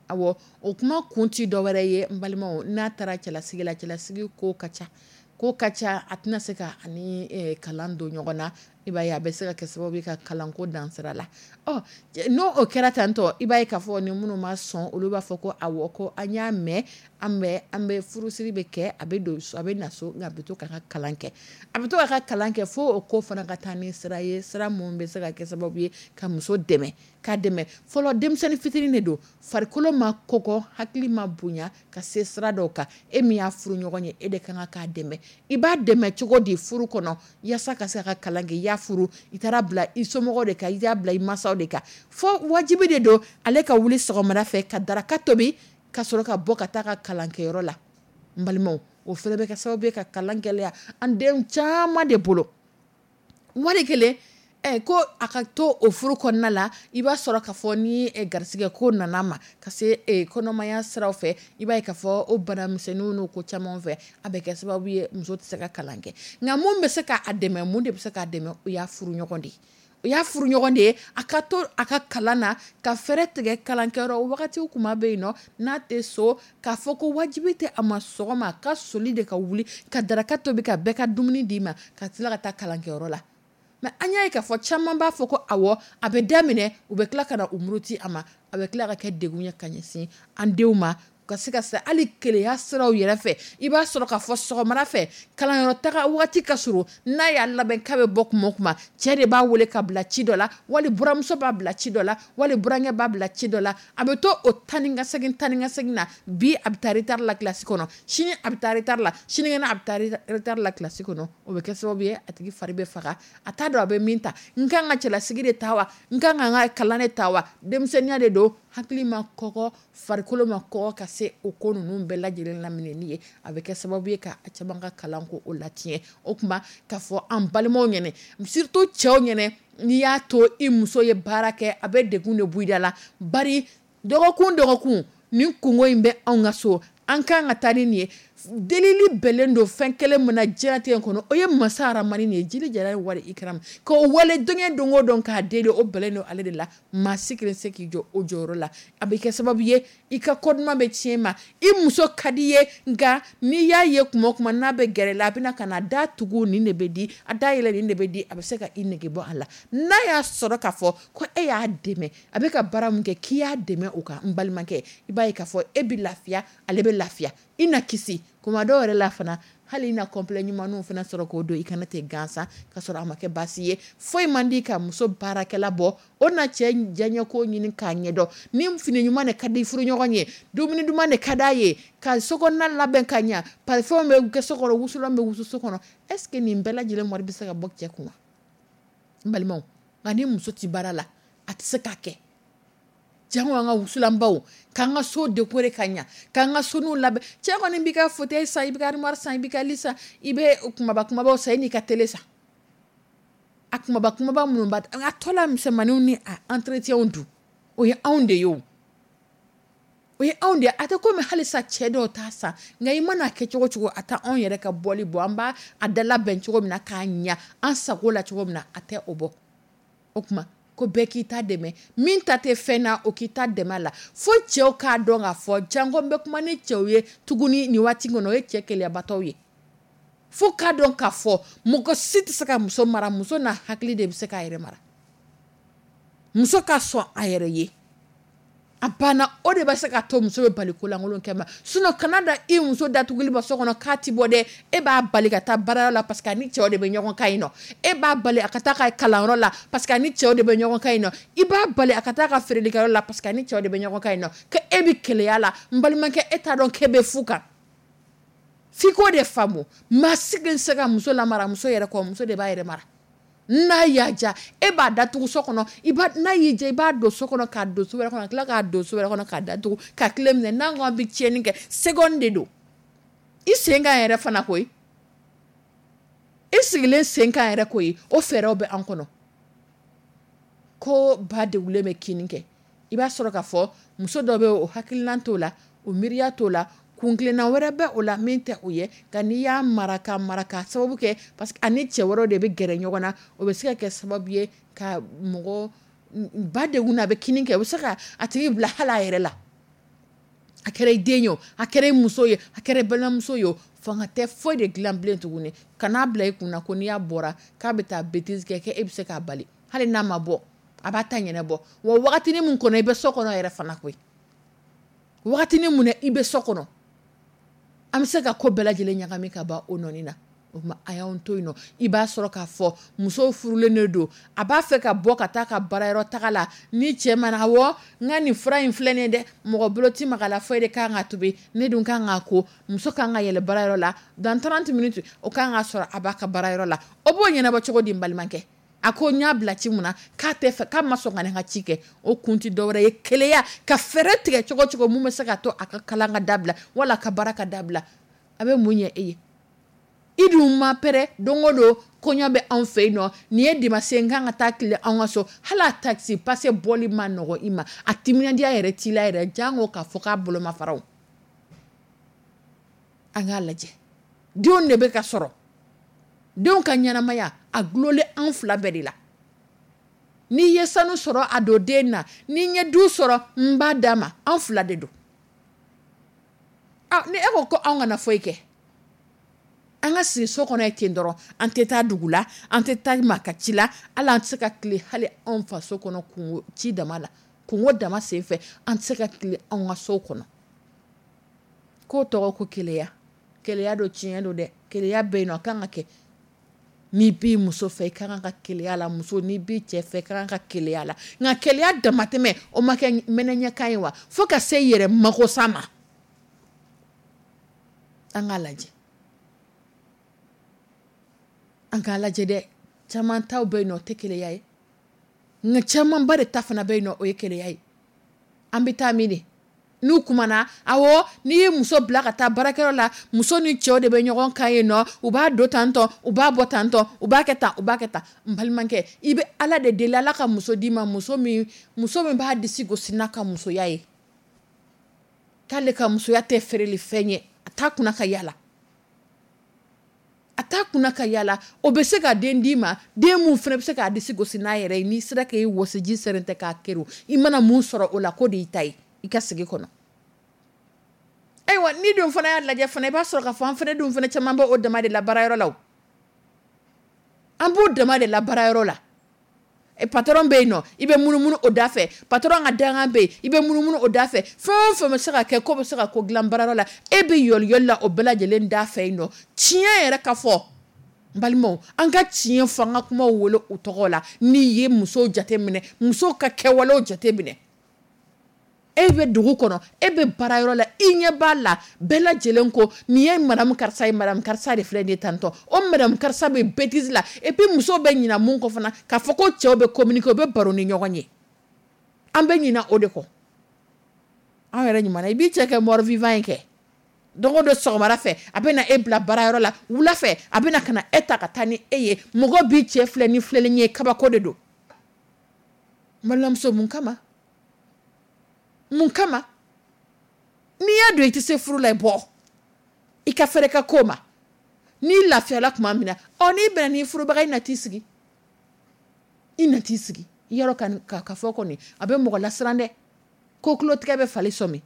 Awɔ, o kuma kun ti dɔ wɛrɛ ye n balimaw, n'a taara cɛlasigi la, cɛlasigi ko ka ca. Ko ka ca, a tɛna se ka ani kalan don ɲɔgɔn na. I b'a ye a bɛ se ka kɛ sababu ye ka kalanko dansira la. Ɔ, n'o o kɛra tantɔ, i b'a ye k'a fɔ ni minnu ma sɔn, olu b'a fɔ ko awɔ, ko an y'a mɛn, an bɛ furusiri bɛ kɛ, a bɛ don so, a bɛ na so, nka a bɛ to k'a ka kalan kɛ. A bɛ to k'a ka kalan kɛ fo o ko fana ka taa ni sira ye, sira mun bɛ se ka kɛ sababu ye ka muso dɛmɛ, k'a dɛmɛ. Fɔlɔ denmisɛnnin fitinin de don, farikolo ma kɔgɔ, hakili ma bonya ka se sira dɔw kan. E min y'a furu ɲɔgɔn ye, e de kan k'a dɛmɛ. I b'a dɛmɛ cogo di furu kɔnɔ yaasa ka se ka kalan kɛ? I y'a furu, i taara bila i somɔgɔw de kan, i y'a bila i mansaw de kan. Fo wajibi de don ale ka wuli sɔgɔmada fɛ ka daraka tobi ka sɔrɔ ka bɔ ka taa ka kalankɛyɔrɔ la. N balimaw, o fana bɛ kɛ sababu ye ka kalan gɛlɛya an den caman de bolo. Wali kelen ko a ka to o furu kɔnɔna la, i b'a sɔrɔ k'a fɔ ni garisɛgɛ ko nana ma ka se kɔnɔmaya siraw fɛ, i b'a ye k'a fɔ o bana misɛnninw n'o ko caman fɛ, a bɛ kɛ sababu ye muso tɛ se ka kalan kɛ. Nka mun bɛ se k'a dɛmɛ, mun de bɛ se k'a dɛmɛ? O y'a furu ɲɔgɔn de ye. O y'a furu ɲɔgɔn de ye, a ka to a ka kalan na, ka fɛɛrɛ tigɛ kalankɛyɔrɔ wagati kuma bɛ yen nɔ, n'a tɛ so, k'a fɔ ko wajibi tɛ a ma sɔgɔma a ka soli de ka wuli ka daraka tobi ka bɛɛ ka dumuni d'i ma ka tila ka taa kalankɛyɔrɔ la. Mais an y'a ye k'a fɔ caman b'a fɔ ko awɔ, a bɛ daminɛ, u bɛ tila ka na u muruti a ma, a bɛ tila ka kɛ degun ye ka ɲɛsin an denw ma. Ka se ka se hali keleya siraw yɛrɛ fɛ, i b'a sɔrɔ k'a fɔ sɔgɔmada fɛ kalanyɔrɔ taga waati ka surun, n'a y'a labɛn k'a bɛ bɔ kuma o kuma, cɛ de b'a wele ka bila ci dɔ la, wali buramuso b'a bila ci dɔ la, wali burankɛ b'a bila ci dɔ la. A bɛ to o tan ka segin tan ka segin na. Bi a bɛ taa retard la classe kɔnɔ, sini a bɛ taa retard la, sinikɛnɛ a bɛ taa retard la classe kɔnɔ. O bɛ kɛ sababu ye, a tigi fari bɛ faga, a t'a dɔn a bɛ min ta. N kan ka cɛlasigi de ta wa, n kan ka n ka kalan de ta wa? Denmisɛnninya de don, hakili ma kɔgɔ, farikolo ma kɔgɔ ka se o ko ninnu bɛɛ lajɛlen laminɛni ye. A bɛ kɛ sababu ye ka caman ka kalan ko o latiɲɛ. O tuma k'a fɔ an balimaw ɲɛnɛ, surtout cɛw ɲɛnɛ, n'i y'a to i muso ye baara kɛ, a bɛ degun de bɔ i da la. Bari dɔgɔkun dɔgɔkun nin kungo in bɛ anw ka so, an kan ka taa ni nin ye. Delili bɛnnen don fɛn kelen min na diɲɛlatigɛ kɔnɔ, o ye masa aramani nin ye, jili jara wali ikram, k'o wale diɲɛ don o don k'a deli, o bɛnnen don ale de la. Maa si kelen se k'i jɔ o jɔyɔrɔ la. A bɛ kɛ sababu ye, i ka kɔduma bɛ tiɲɛ ma. I muso ka di ye, nka n'i y'a ye kuma o kuma n'a bɛ gɛrɛ la, a bɛna ka na da tugu, nin de bɛ di, a da yɛlɛ, nin de bɛ di, a bɛ se ka i nege bɔ a la. N'a y'a sɔrɔ k'a fɔ ko e y'a dɛmɛ, a bɛ ka baara min kɛ, k'i y'a dɛmɛ o kan, n balimakɛ, i b'a ye k'a fɔ e bɛ lafiya, ale bɛ lafiya, i na kisi kuma dɔw yɛrɛ la fana. Hali i na complet ɲumanw fana sɔrɔ k'o don i kana ten gansan, ka sɔrɔ a ma kɛ baasi ye. Foyi man di ka muso baarakɛla bɔ, o na cɛ diyaɲɛko ɲini k'a ɲɛdɔn. Ni fini ɲuman de ka di furuɲɔgɔn ye, dumuni duman de ka d'a ye, ka sokɔnɔna labɛn ka ɲa, parfum bɛ kɛ so kɔnɔ, wusulan bɛ wusu so kɔnɔ. Est ce que nin bɛɛ lajɛlen wari bɛ se ka bɔ cɛ kun wa? N balimaw, nka ni muso tɛ baara la, a tɛ se k'a kɛ. Jango an ka wusulanbaw, k'an ka so décorer ka ɲa, k'an ka sonuw labɛn. Cɛ kɔni b'i ka fauteuil san, i b'i ka armoire san, i b'i ka lit san, i bɛ kumaba kumabaw san, i n'i ka télé san. A kumaba kumaba minnu b'a a tɔ la misɛnmaninw ni a entretien dun, o ye anw de ye o. O ye anw de ye. A tɛ komi halisa cɛ dɔw t'a san, nka i mana kɛ cogo cogo, a tɛ anw yɛrɛ ka bɔli bɔ. An b'a a da labɛn cogo min na k'a ɲa an sago la cogo min na, a tɛ o bɔ. O tuma ko bɛɛ k'i ta dɛmɛ, min ta tɛ fɛn na, o k'i ta dɛmɛ a la. Fo cɛw k'a dɔn k'a fɔ, janko n bɛ kuma ni cɛw ye tuguni nin waati kɔnɔ, o ye cɛ keleyabatɔw ye. Fo k'a dɔn k'a fɔ mɔgɔ si tɛ se ka muso mara, muso n'a hakili de bɛ se k'a yɛrɛ mara. Muso ka sɔn a yɛrɛ ye, a banna, o de bɛ se ka to muso bɛ bali kolankolon kɛ ma. Sinon kana da i muso datuguli ma so kɔnɔ k'a ti bɔ dɛ. E b'a bali ka taa baarayɔrɔ la parce que a ni cɛw de bɛ ɲɔgɔn kan yen nɔ. E b'a bali a ka taa ka kalanyɔrɔ la parce que a ni cɛw de bɛ ɲɔgɔn kan yen nɔ. I b'a bali a ka taa ka feerelikɛyɔrɔ la parce que a ni cɛw de bɛ ɲɔgɔn kan yen nɔ. Ko e bɛ keleya la, n balimakɛ, e t'a dɔn k'e bɛ fu kan. F'i k'o de faamu. Maa si tɛ se ka muso lamara muso yɛrɛ kɔ, muso de b'a yɛrɛ mara. N'a y'a ja, e b'a datugu so kɔnɔ, n'a y'i ja, i b'a don so kɔnɔ, k'a don so wɛrɛ kɔnɔ, ka tila k'a don so wɛrɛ kɔnɔ, k'a datugu, ka tile minɛ. N'a ko an bɛ tiɲɛni kɛ, seconde de don. I sen kan yɛrɛ fana koyi. I sigilen sen kan yɛrɛ koyi, o fɛɛrɛw bɛ an kɔnɔ. Ko ba degulen bɛ kini kɛ. I b'a sɔrɔ k'a fɔ muso dɔ bɛ o hakilinan t'o la, o miiriya t'o la, kunkilenna wɛrɛ bɛ o la min tɛ o ye. Nka n'i y'a mara ka mara ka sababu kɛ parce que ani cɛ wɛrɛw de bɛ gɛrɛ ɲɔgɔn na, o bɛ se ka kɛ sababu ye ka mɔgɔ ba degun na, a bɛ kini kɛ, o bɛ se ka a tigi bila hali a yɛrɛ la. A kɛra i den ye o, a kɛra i muso ye, a kɛra i balimamuso ye o, fanga tɛ foyi de dilan bilen tuguni. Kan'a bila i kunna ko n'i y'a bɔra k'a bɛ taa bêtise kɛ, k'e bɛ se k'a bali. Hali n'a ma bɔ, a b'a ta ɲɛnabɔ. Wa wagatinin min kɔnɔ i bɛ so kɔnɔ yɛrɛ fana koyi. Wagatinin mun na i bɛ so kɔnɔ, an bɛ se ka ko bɛɛ lajɛlen ɲagami ka ban o nɔni na. O tuma a y'anw to yen nɔ. I b'a sɔrɔ k'a fɔ muso furulen de don, a b'a fɛ ka bɔ ka taa ka baarayɔrɔ taga la, ni cɛ mana, awɔ, n ka nin fura in filɛ nin ye dɛ, mɔgɔ bolo ti maga la foyi de kan ka tobi, ne dun kan k'a ko, muso kan ka yɛlɛ baarayɔrɔ la dans 30 minutes, o kan ka sɔrɔ a b'a ka baarayɔrɔ la. O b'o ɲɛnabɔ cogo di n balimakɛ? A ko n y'a bila ci mun na, k'a tɛ fɛ, k'a ma sɔn ka ne ka ci kɛ. O kun ti dɔwɛrɛ ye, keleya, ka fɛɛrɛ tigɛ cogo cogo mun bɛ se ka to a ka kalan ka dabila wala a ka baara ka dabila. A bɛ mun ɲɛ e ye? I dun ma pɛrɛ, don o don kɔɲɔ bɛ anw fɛ yen nɔ, nin ye dimanche n kan ka taa tile anw ka so, hali a taxi passe bɔli ma nɔgɔ i ma, a timinandiya yɛrɛ t'i la yɛrɛ, jango k'a fɔ k'a bolo ma fara o. An k'a lajɛ, denw de bɛ ka sɔrɔ, denw ka ɲɛnamaya a gulonlen an fila bɛɛ de la. N'i ye sanu sɔrɔ a don den na, ni n ye du sɔrɔ n b'a d'a ma, an fila de don. Ni e ko ko anw kana foyi kɛ, an ka sigi so kɔnɔ ten dɔrɔn, an tɛ taa dugu la, an tɛ taa maa ka ci la, hali an tɛ se ka tile hali anw faso kɔnɔ kungo ci dama la, kungo dama sen fɛ, an tɛ se ka tile anw ka so kɔnɔ. K'o tɔgɔ ko keleya. Keleya don, tiɲɛ don dɛ, keleya bɛ yen nɔ, a kan ka kɛ. N'i b'i muso fɛ, i ka kan ka keleya la. Muso, n'i b'i cɛ fɛ, i ka kan ka keleya la. Nka keleya damatɛmɛ, o ma kɛ mɛnɛɲɛkan ye wa? Fo ka se yɛrɛ makosa ma. An k'a lajɛ, an k'a lajɛ dɛ. Caman taw bɛ yen nɔ, o tɛ keleya ye, nka camanba de ta fana bɛ yen nɔ, o ye keleya ye. An bɛ taa min de n'u kumana? Awɔ, n'i ye muso bila ka taa baarakɛyɔrɔ la, muso ni cɛw de bɛ ɲɔgɔn kan yen nɔ. U b'a don tantɔ, u b'a bɔ tantɔ, u b'a kɛ tan, u b'a kɛ tan. N balimakɛ, i bɛ Ala de deli, Ala ka muso d'i ma, muso min b'a disi gosi n'a ka musoya ye, k'ale ka musoya tɛ feereli fɛn ye. A t'a kunna ka yala, a t'a kunna ka yala. O bɛ se ka den d'i ma, den mun fana bɛ se k'a disi gosi n'a yɛrɛ ye. N'i sera k'e wɔsiji sɛrɛntɛ k'a keru, i mana mun sɔrɔ o la, k'o de y'i ta ye i ka sigi kɔnɔ. Ayiwa, ni dun fana y'a lajɛ fana, i b'a sɔrɔ k'a fɔ an fana dun fana caman b'o dama de la baarayɔrɔ la o. An b'o dama de la baarayɔrɔ la. Patron bɛ yen nɔ, i bɛ munumunu o da fɛ. Patron ka dangan bɛ yen, i bɛ munumunu o da fɛ. Fɛn o fɛn bɛ se ka kɛ ko bɛ se ka ko dilan baarayɔrɔ la, e bɛ yɔliyɔli la o bɛɛ lajɛlen da fɛ yen nɔ. Tiɲɛ yɛrɛ ka fɔ, n balimaw, an ka tiɲɛ fɔ, an ka kumaw wele u tɔgɔ la. N'i ye musow jateminɛ, musow ka kɛwalew jateminɛ, e bɛ dugu kɔnɔ, e bɛ baarayɔrɔ la, i ɲɛ b'a la, bɛɛ lajɛlen ko nin ye madame karisa ye, madame karisa de filɛ nin ye tantɔ. O madame karisa bɛ bêtise la. Et puis musow bɛ ɲina mun kɔ fana, k'a fɔ ko cɛw bɛ communiquer, u bɛ baro ni ɲɔgɔn ye. An bɛ ɲina o de kɔ. Anw yɛrɛ ɲuman na, i b'i cɛ kɛ mort vivant ye kɛ. Don o don sɔgɔmada fɛ, a bɛ na e bila baarayɔrɔ la, wula fɛ a bɛ na ka na e ta ka taa ni e ye. Mɔgɔ b'i cɛ filɛ ni filɛli ye, kabako de don. N balimamuso, mun kama? Mun kama? N'i y'a dɔn i tɛ se furu la, i bɔ i ka fɛrɛ ka ko ma. N'i lafiyala tuma min na, ɔ n'i bɛnna n'i furubaga, i na t'i sigi, i na t'i sigi. I y'a dɔn ka fɔ kɔni, a bɛ mɔgɔ lasiran dɛ. Ko tulotigɛ bɛ fali sɔmi.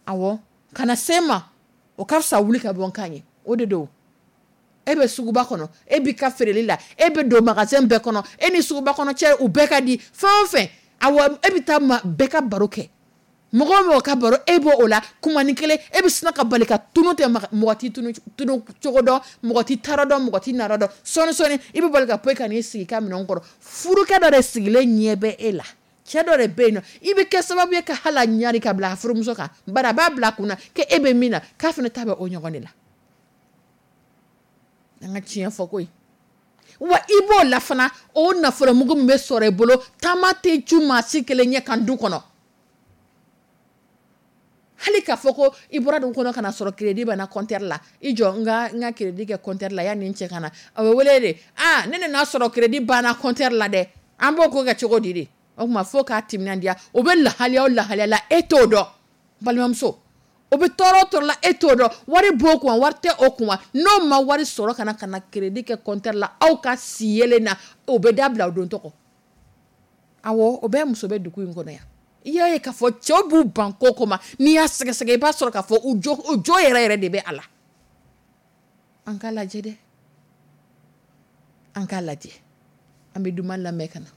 Awɔ, kana se ma, o ka fisa wuli ka bɔ n kan ye. O de don. E bɛ suguba kɔnɔ, e b'i ka feereli la, e bɛ don magasin bɛɛ kɔnɔ, e ni suguba kɔnɔ cɛ u bɛɛ ka di, fɛn o fɛn. Awɔ, e bɛ taa ma bɛɛ ka baro kɛ. Mɔgɔ o mɔgɔ ka baro e b'o o la, kumani kelen e bɛ sina ka bali ka tunu tɛ, mɔgɔ t'i tunu cogo dɔn, mɔgɔ t'i taara dɔn, mɔgɔ t'i nara dɔn. Sɔɔni sɔɔni i bɛ bali ka poyi ka n'i sigi i ka minɛn kɔrɔ. Furukɛ dɔ de sigilen ɲɛ bɛ e la, cɛ dɔ de bɛ yen nɔ, i bɛ kɛ sababu ye ka hali a ɲari ka bila a furumuso kan, bari a b'a bila a kunna k'e bɛ min na, k'a fana ta bɛ o ɲɔgɔn de la. An ka tiɲɛ fɔ koyi. Wa i b'o la fana, o nafolomugu min bɛ sɔrɔ i bolo, taama tɛ cu maa si kelen ɲɛ kan du kɔnɔ. Hali k'a fɔ ko i bɔra dugu kɔnɔ ka na sɔrɔ crédit banna compteur la, i jɔ n ka crédit kɛ compteur la yanni n cɛ ka na. A bɛ wele de, aa ne nana sɔrɔ crédit banna compteur la dɛ, an b'o ko kɛ cogo di de? O tuma fo k'a timinandiya, o bɛ lahaliya o lahaliya la, e t'o dɔn. Balimamuso, o bɛ tɔɔrɔ o tɔɔrɔ la, e t'o dɔn. Wari b'o kun wa, wari tɛ o kun wa? N'o ma wari sɔrɔ ka na crédit kɛ compteur la, aw ka si yelen na, o bɛ dabila o don tɔgɔ. Awɔ, o bɛɛ muso bɛ dugu in kɔnɔ yan. I y'a ye k'a fɔ cɛw b'u ban ko ko ma, n'i y'a sɛgɛsɛgɛ i b'a sɔrɔ k'a fɔ u jo yɛrɛ yɛrɛ de bɛ a la. An k'a lajɛ dɛ, an k'a lajɛ. An bɛ duman lamɛn ka na.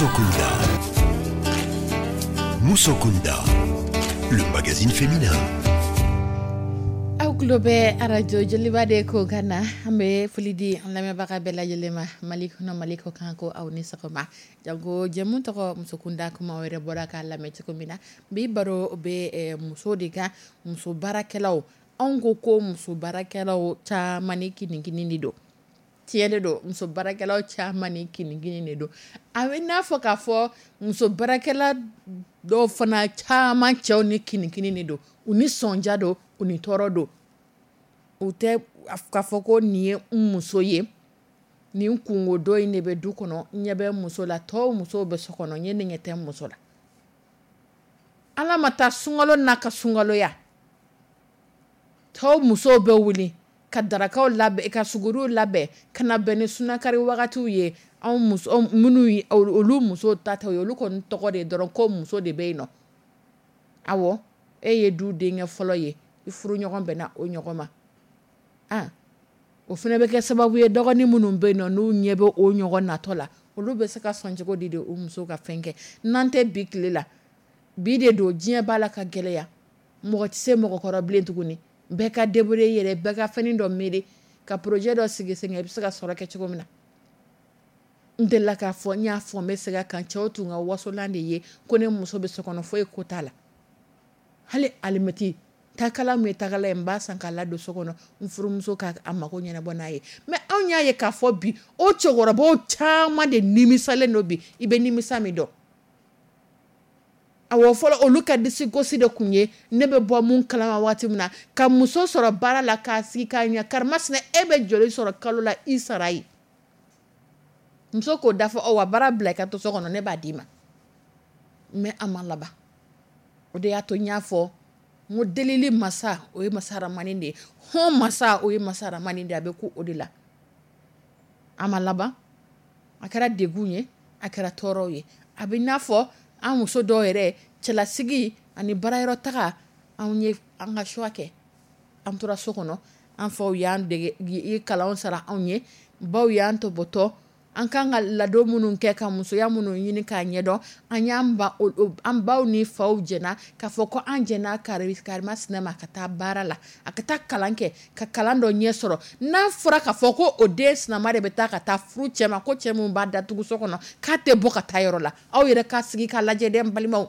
Musokunda. Musokunda, le magazine féminin. Aw tulo bɛ arajo Joliba de ko kan na. An bɛ foli di an lamɛnbaga bɛɛ lajɛlen ma, Mali kɔnɔ, Mali kɔ kan. Ko aw ni sɔgɔma. Janko jɛmu tɔgɔ Musokunda, kuma aw yɛrɛ bɔra k'a lamɛn cogo min na, bi baro bɛ muso de kan, muso baarakɛlaw. Anw ko ko muso baarakɛlaw caman ni kinikini de don. Tiɲɛ de don, muso baarakɛlaw caman ni kinikini de don. A bɛ n'a fɔ k'a fɔ muso baarakɛla dɔw fana caman cɛw ni kinikini de don, u ni sɔnja don, u ni tɔɔrɔ don. U tɛ k'a fɔ ko nin ye n muso ye, nin kungo dɔ in de bɛ du kɔnɔ, ɲɛ bɛ muso la, tɔw musow bɛ so kɔnɔ, ɲɛ ni ɲɛ tɛ muso la. Ala ma taa sunkalo n'a ka sunkaloya, tɔw musow bɛ wuli ka darakaw labɛn, ka suguriw labɛn ka na bɛn ni sunakari wagatiw ye. Anw muso minnu, olu muso ta ye, olu kɔni tɔgɔ de dɔrɔn ko muso de bɛ yen nɔ. Awɔ, e ye du denkɛ fɔlɔ ye, i furu ɲɔgɔn bɛnna o ɲɔgɔn ma. Ah, o fana bɛ kɛ sababu ye, dɔgɔnin minnu bɛ yen nɔ, n'u ɲɛ bɛ o ɲɔgɔn natɔ la, olu bɛ se ka sɔn cogo di de o muso ka fɛn kɛ? N'an tɛ bi tile la, bi de don, diɲɛ b'a la ka gɛlɛya, mɔgɔ tɛ se mɔgɔkɔrɔ bilen tuguni. Bɛɛ ka débrouiller yɛrɛ, bɛɛ ka fɛnin dɔ miiri ka projet dɔ sigi sen kan, i bɛ se ka sɔrɔ kɛ cogo min na. N delila k'a fɔ, n y'a fɔ, n bɛ segin a kan, cɛw tun ka wasolan de ye ko ne muso bɛ so kɔnɔ, foyi ko t'a la. Hali alimɛti takala min ye takala ye, n b'a san k'a ladon so kɔnɔ, n furumuso k'a mako ɲɛnabɔ n'a ye. Mais anw y'a ye k'a fɔ bi, o cɛkɔrɔbaw caman de nimisalen don bi. I bɛ nimisa min dɔn? Awɔ, fɔlɔ olu ka disi gosi de tun ye ne bɛ bɔ mun kalama waati min na, ka muso sɔrɔ baara la, k'a sigi k'a ɲɛ, karimasina, e bɛ joli sɔrɔ kalo la, i sara ye? Muso k'o da fɔ, ɔ wa baara bila i ka to so kɔnɔ, ne b'a d'i ma. Mais a ma laban. O de y'a to n y'a fɔ n ko delili masa, o ye masa Ramani de ye. Hɔn masa, o ye masa Ramani de ye. A bɛ ku o de la. A ma laban, a kɛra degun ye, a kɛra tɔɔrɔw ye. A bɛ n'a fɔ an muso dɔw yɛrɛ, cɛlasigi ani baarayɔrɔ taga, anw ye an ka choix kɛ, an tora so kɔnɔ. An faw y'an dege i kalanw sara anw ye, baw y'an tɔbɔtɔ, an kan ka ladon minnu kɛ, ka musoya minnu ɲini k'a ɲɛdɔn, an y'an ba, an baw ni faw jɛna k'a fɔ ko an jɛna karimasina ma ka taa baara la, a ka taa kalan kɛ, ka kalan dɔ ɲɛ sɔrɔ. N'a fɔra k'a fɔ ko o den sinama de bɛ taa ka taa furu cɛ ma, ko cɛ min b'a datugu so kɔnɔ, k'a tɛ bɔ ka taa yɔrɔ la, aw yɛrɛ k'a sigi k'a lajɛ dɛ, n balimaw.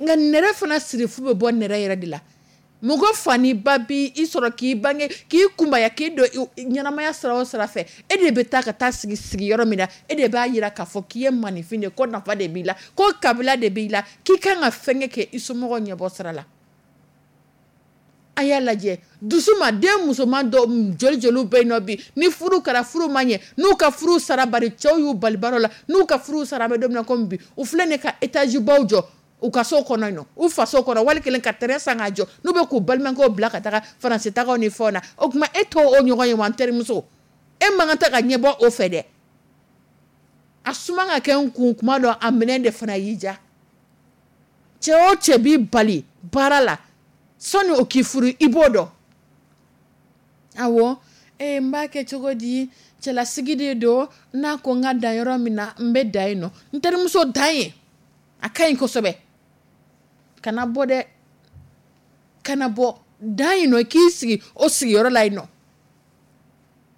Nka nɛrɛ fana sirifu bɛ bɔ nɛrɛ yɛrɛ de la. Mɔgɔ fa ni ba bi i sɔrɔ k'i bange, k'i kunbaya, k'i don ɲɛnamaya sira o sira fɛ, e de bɛ taa ka taa sigi sigiyɔrɔ min na, e de b'a jira k'a fɔ k'i ye maninfin de, ko nafa de b'i la, ko kabila de b'i la, k'i kan ka fɛn kɛ i somɔgɔw ɲɛbɔ sira la. A y'a lajɛ dusu ma, den musoman dɔ joli joliw bɛ yen nɔ bi, ni furu kɛra, furu ma ɲɛ, n'u ka furu sara, bari cɛw y'u bali baara la, n'u ka furu sara, an bɛ don min na komi bi, u filɛ nin ka étage baw jɔ u ka so kɔnɔ yen nɔ, u faso kɔnɔ, wali kelen ka terrain san k'a jɔ, n'u bɛ k'u balimakɛw bila ka taga faransi tagaw ni fɛnw na. O tuma e t'o ɲɔgɔn ye wa? N terimuso, e man kan tɛ ka ɲɛbɔ o fɛ dɛ. A suma ka kɛ n kun kuma dɔ, a minɛn de fana y'i ja. Cɛ o cɛ b'i bali baara la sɔnni o k'i furu, i b'o dɔn. Awɔ, ee n b'a kɛ cogo di? Cɛlasigi de don, n'a ko n ka dan yɔrɔ min na, n bɛ dan yen nɔ. N terimuso, dan yen, a ka ɲi kosɛbɛ. Kana bɔ dɛ, kana bɔ, dan yen nɔ, k'i sigi o sigiyɔrɔ la yen nɔ.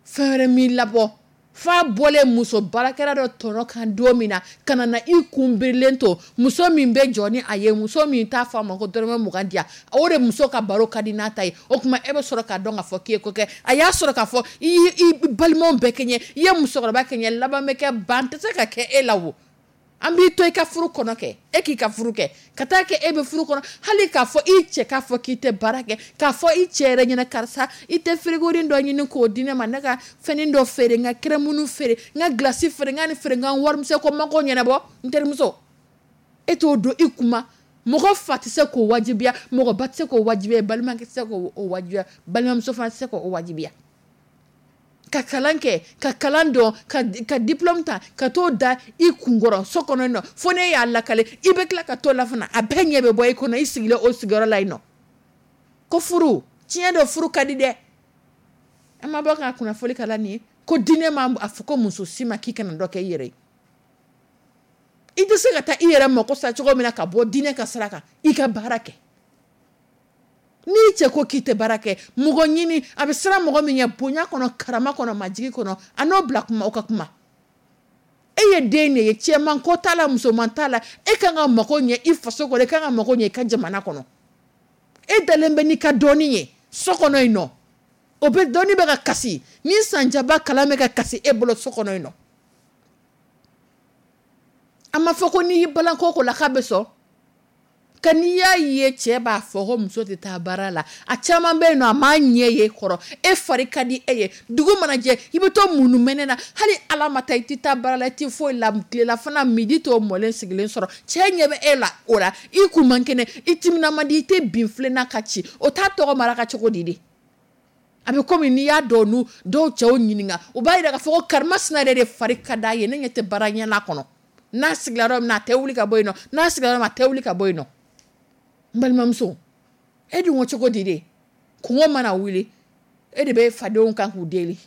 Fɛn wɛrɛ m'i labɔ f'a bɔlen muso baarakɛla dɔ tɔnɔ kan don min na, ka na i kun birilen to muso min bɛ jɔ ni a ye, muso min t'a fɔ a ma ko dɔrɔmɛ 20 di yan, o de muso ka baro ka di n'a ta ye. O tuma e bɛ sɔrɔ k'a dɔn k'a fɔ k'i ye ko kɛ. A y'a sɔrɔ k'a fɔ i y'i balimaw bɛɛ kɛɲɛ, i ye musokɔrɔba kɛɲɛ, laban bɛ kɛ ban tɛ se ka kɛ e la wo. An b'i to i ka furu kɔnɔ kɛ, e k'i ka furu kɛ, ka taa kɛ e bɛ furu kɔnɔ, hali k'a fɔ i cɛ k'a fɔ k'i tɛ baara kɛ, k'a fɔ i cɛ yɛrɛ ɲɛna, karisa, i tɛ frigorin dɔ ɲini k'o di ne ma, ne ka fɛnin dɔ feere, n ka crème feere, n ka glace feere, n ka nin feere, n ka warimisɛn ko mako ɲɛnabɔ. N terimuso, e t'o don i kuma. Mɔgɔ fa tɛ se k'o wajibiya, mɔgɔ ba tɛ se k'o wajibiya, balimakɛ tɛ se k'o wajibiya, balimamuso fana tɛ se k'o wajibiya. Ka kalan kɛ, ka kalan dɔn, ka diplôme ta, ka t'o da i kunkɔrɔ so kɔnɔ yen nɔ, fo ne y'a lakale, i bɛ tila ka t'o la fana, a bɛɛ ɲɛ bɛ bɔ i kɔnɔ, i sigilen o sigiyɔrɔ la yen nɔ. Ko furu, tiɲɛ don, furu ka di dɛ. An ma bɔ ka kunnafoni kala nin ye ko diinɛ ma a fɔ ko muso si ma k'i kana dɔ kɛ i yɛrɛ ye. I tɛ se ka taa i yɛrɛ mako sa cogo min na ka bɔ diinɛ ka sira kan, i ka baara kɛ. N'i cɛ ko k'i tɛ baara kɛ, mɔgɔ ɲini a bɛ siran mɔgɔ min ɲɛ, bonya kɔnɔ, karama kɔnɔ, majigi kɔnɔ, a n'o bila kuma, o ka kuma. E ye den de ye, cɛman ko t'a la, musoman t'a la, e kan ka mako ɲɛ i faso kɔnɔ, e kan ka mako ɲɛ i ka jamana kɔnɔ. E dalen bɛ n'i ka dɔnni ye so kɔnɔ yen nɔ, o bɛ dɔnni bɛ ka kasi ni sanjaba kalan bɛ ka kasi e bolo so kɔnɔ yen nɔ. A ma fɔ ko n'i y'i balan ko ko la k'a bɛ sɔn. Ka n'i y'a ye cɛ b'a fɔ ko muso tɛ taa baara la, a caman bɛ yen nɔ, a m'a ɲɛ ye kɔrɔ. E fari ka di e ye, dugu mana jɛ i bɛ to munumɛnɛ na, hali Ala ma taa i tɛ taa baara la, i tɛ foyi la, tilelafana midi t'o mɔlen sigilen sɔrɔ. Cɛ ɲɛ bɛ e la o la, i kun man kɛnɛ, i timina man di, i tɛ bin filen na ka ci, o t'a tɔgɔ mara ka cogo di de? A bɛ komi n'i y'a dɔn nu dɔw cɛw ɲininka, u b'a jira k'a fɔ ko karimasina yɛrɛ de fari ka d'a ye, ne ɲɛ tɛ baara ɲɛ kɔnɔ. N'a sigira yɔrɔ min na a tɛ wuli ka bɔ yen nɔ, n'a sigira yɔrɔ min a tɛ wuli ka bɔ yen nɔ. N balimamuso, e dun ko cogo di de? Kungo mana wuli, e de bɛ fadenw kan k'u deli.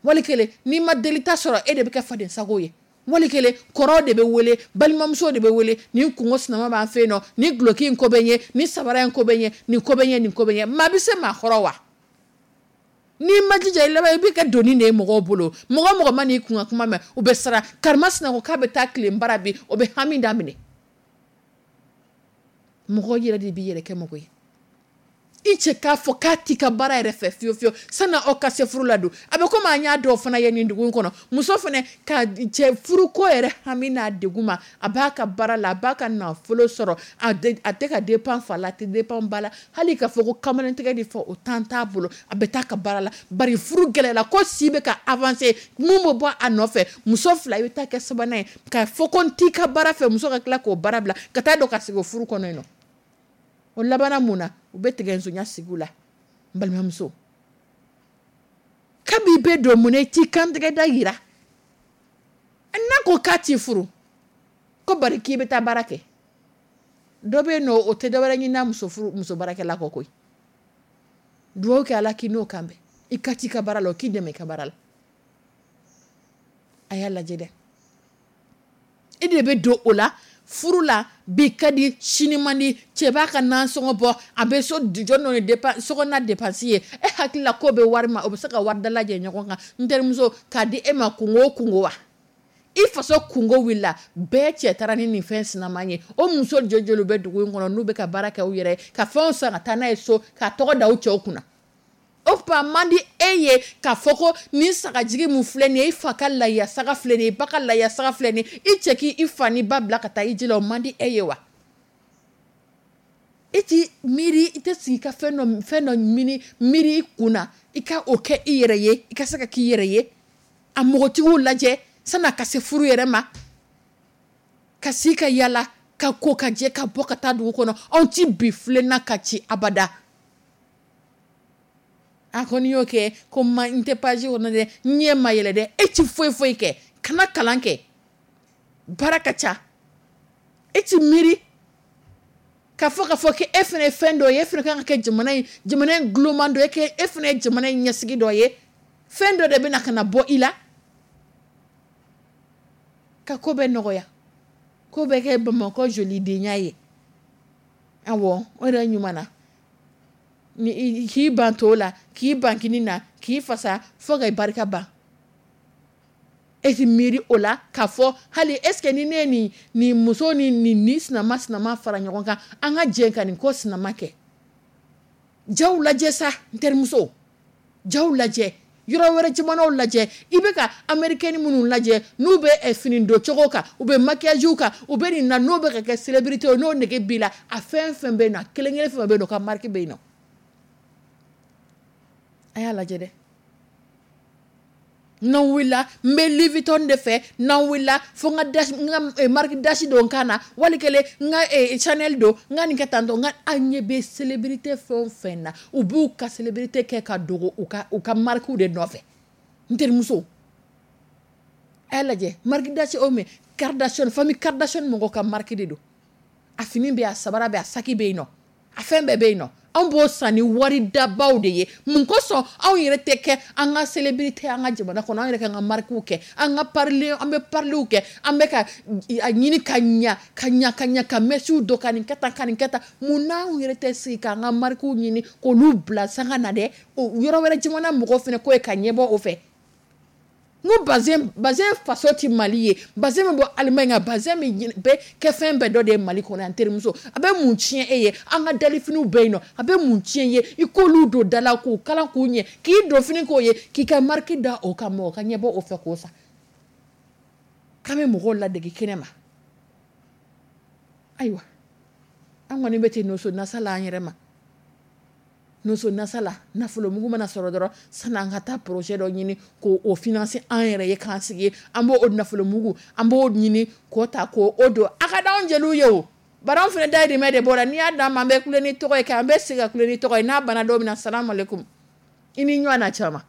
Wali kelen n'i ma deli ta sɔrɔ, e de bɛ kɛ faden sago ye. Wali kelen kɔrɔw de bɛ wele, balimamuso de bɛ wele, nin kungo sinama b'an fɛ yen nɔ, nin duloki in ko bɛ n ye, nin sabara in ko bɛ n ye, nin ko bɛ n ye, nin ko bɛ n ye. Maa bɛ se maa kɔrɔ wa? N'i ma jija i laban i bɛ kɛ doni de ye mɔgɔw bolo. Mɔgɔ mɔgɔ ma n'i kun ka kuma mɛn, u bɛ siran. Karimasina ko k'a bɛ taa tilen bara bi, o bɛ hami daminɛ. Mɔgɔ yɛrɛ de b'i yɛrɛ kɛ mɔgɔ ye. I cɛ k'a fɔ k'a t'i ka baara yɛrɛ fɛ fiyewu fiyewu sani aw ka se furu la don. A bɛ komi an y'a dɔw fana ye nin dugu in kɔnɔ. Muso fana ka cɛ furuko yɛrɛ hami n'a degun ma, a b'a ka baara la, a b'a ka nafolo sɔrɔ, a tɛ ka dépend fa la, a tɛ dépend ba la. Hali k'a fɔ ko kamalentigɛ de fɔ o temps t'a bolo, a bɛ taa ka baara la. Bari furu gɛlɛyara ko si bɛ ka avancer, mun bɛ bɔ a nɔfɛ, muso fila i bɛ taa kɛ sabanan ye, k'a fɔ ko n t'i ka baara fɛ, muso ka tila k'o baara bila ka taa don ka sigi o furu kɔnɔ yen nɔ. O labanna mun na? U bɛ tigɛ nsonya sigi la. N balimamuso, kabi bɛ don mun na i t'i kantigɛ da yira? N'a ko k'a t'i furu, ko bari k'i bɛ taa baara kɛ. Dɔ bɛ yen nɔ, o tɛ dɔwɛrɛ ɲini n'a muso furu, muso baarakɛla kɔ koyi. Dugawu kɛ Ala k'i n'o kan bɛn. I ka t'i ka baara la, o k'i dɛmɛ i ka baara la. A y'a lajɛ dɛ. E de bɛ don o la furu la, bi ka di sini man di, cɛ b'a ka nasɔngɔ bɔ, a bɛ so jɔ n'o ye sokɔnɔna dépense ye. E hakili la k'o bɛ wari ma, o bɛ se ka wari dalajɛ ɲɔgɔn kan. N terimuso, k'a di e ma kungo o kungo wa? I faso kungo wulila, bɛɛ cɛ taara ni nin fɛn sinaman ye. O muso joli bɛ dugu in kɔnɔ n'u bɛ ka baara kɛ u yɛrɛ ye, ka fɛnw san ka taa n'a ye so, k'a tɔgɔ da u cɛw kunna. O tuma man di e ye k'a fɔ ko nin sagajigi mun filɛ nin ye, i fa ka layiya saga filɛ nin ye, i ba ka layiya saga filɛ nin ye, i cɛ k'i fa ni ba bila ka taa i ji la, o man di e ye wa? I t'i miiri, i tɛ sigi ka fɛn dɔ miiri i kun na, i ka o kɛ i yɛrɛ ye, i ka se ka k'i yɛrɛ ye. A mɔgɔtigiw lajɛ san'a ka se furu yɛrɛ ma, ka si ka yala, ka ko ka jɛ, ka bɔ ka taa dugu kɔnɔ. Anw ti bi filenna ka ci abada. A kɔni y'o kɛ ko ma n tɛ page kɔnɔ dɛ, n ɲɛ ma yɛlɛ dɛ, e ti foyi foyi kɛ, kana kalan kɛ, baara ka ca. E ti miiri k'a fɔ k'e fana ye fɛn dɔ ye, e fana kan ka kɛ jamana in guloman dɔ ye, e fana ye jamana in ɲɛsigi dɔ ye, fɛn dɔ de bɛ na ka na bɔ i la ka ko bɛɛ nɔgɔya, ko bɛɛ kɛ Bamakɔ jolidenya ye. Awɔ, o yɛrɛ ɲuman na. Ni k'i ban to la, k'i ban kini na, k'i fasa fo ka barika ban. E ti miiri o la k'a fɔ hali est-ce que ni ne ye nin muso ni nin sinama sinama fara ɲɔgɔn kan, an ka jɛ ka nin ko sinama kɛ. Jaw lajɛ sa, n terimuso, jaw lajɛ, yɔrɔ wɛrɛ jamanaw lajɛ. I bɛ ka américaine minnu lajɛ, n'u bɛ fini don cogo kan, u bɛ maquillage kan, u bɛ nin na, n'o bɛ ka kɛ célébrité ye, n'o nege b'i la, a fɛn fɛn bɛ yen nɔ, a kelen kelen fɛn fɛn bɛ yen nɔ, o ka marque bɛ yen nɔ. A y'a lajɛ dɛ. N'an wulila, n bɛ Louis Vuitton de fɛ, n'an wulila fo n ka n ka marque dasi don n kan na, wali kelen n ka Chanel don, n ka nin kɛ tan tɔ, n ka an ɲɛ bɛ célébrité fɛn o fɛn na, u b'u ka célébrité kɛ ka dogo u ka marque de nɔfɛ. N terimuso, a y'a lajɛ, marque dasi o mais Kardashian, famille Kardashian mɔgɔw ka marque de don. A fini bɛ yen, a sabara bɛ yen, a saki bɛ yen nɔ, a fɛn bɛɛ bɛ yen nɔ. Anw b'o san ni wari dabaw de ye. Mun kosɔn anw yɛrɛ tɛ kɛ an ka célébrité an ka jamana kɔnɔ, an yɛrɛ k'an ka marques kɛ, an ka parler, an bɛ parliw kɛ, an bɛ ka a ɲini ka ɲa ka ɲa ka ɲa, ka mèches don, ka nin kɛ tan, ka nin kɛ tan. Mun n'anw yɛrɛ tɛ sigi k'an ka marques ɲini k'olu bila sanga na dɛ? O yɔrɔ wɛrɛ jamana mɔgɔw fana ko ye ka ɲɛbɔ o fɛ. N ko bazin, bazin faso tɛ Mali ye. Bazin bɛ bɔ Allemagne kan, bazin bɛ kɛ fɛn bɛɛ dɔ de ye Mali kɔnɔ yan. Terimuso, a bɛ mun tiɲɛ e ye? An ka dalifiniw bɛ yen nɔ, a bɛ mun tiɲɛ ye i k'olu don da la, k'u kalan k'u ɲɛ, k'i don fini k'o ye, k'i ka marque da o kan, mɔgɔ ka ɲɛbɔ o fɛ k'o san? K'an bɛ mɔgɔw ladege kɛnɛ ma. Ayiwa, an kɔni bɛ ten noso nasa la an yɛrɛ ma. Noso nasa la, nafolo mugu mana sɔrɔ dɔrɔn, sani an ka taa projet dɔ ɲini k'o financer an yɛrɛ ye, k'an sigi, an b'o o nafolo mugu, an b'o ɲini k'o ta k'o don. A ka d'anw jeliw ye o, bari anw fana dayirimɛ de b'o la. N'i y'a d'an ma, an bɛ kule ni tɔgɔ ye, k'an bɛ segin ka kule ni tɔgɔ ye. N'a banna don min na, salamu aleykum, i ni ɲɔgɔn na caman.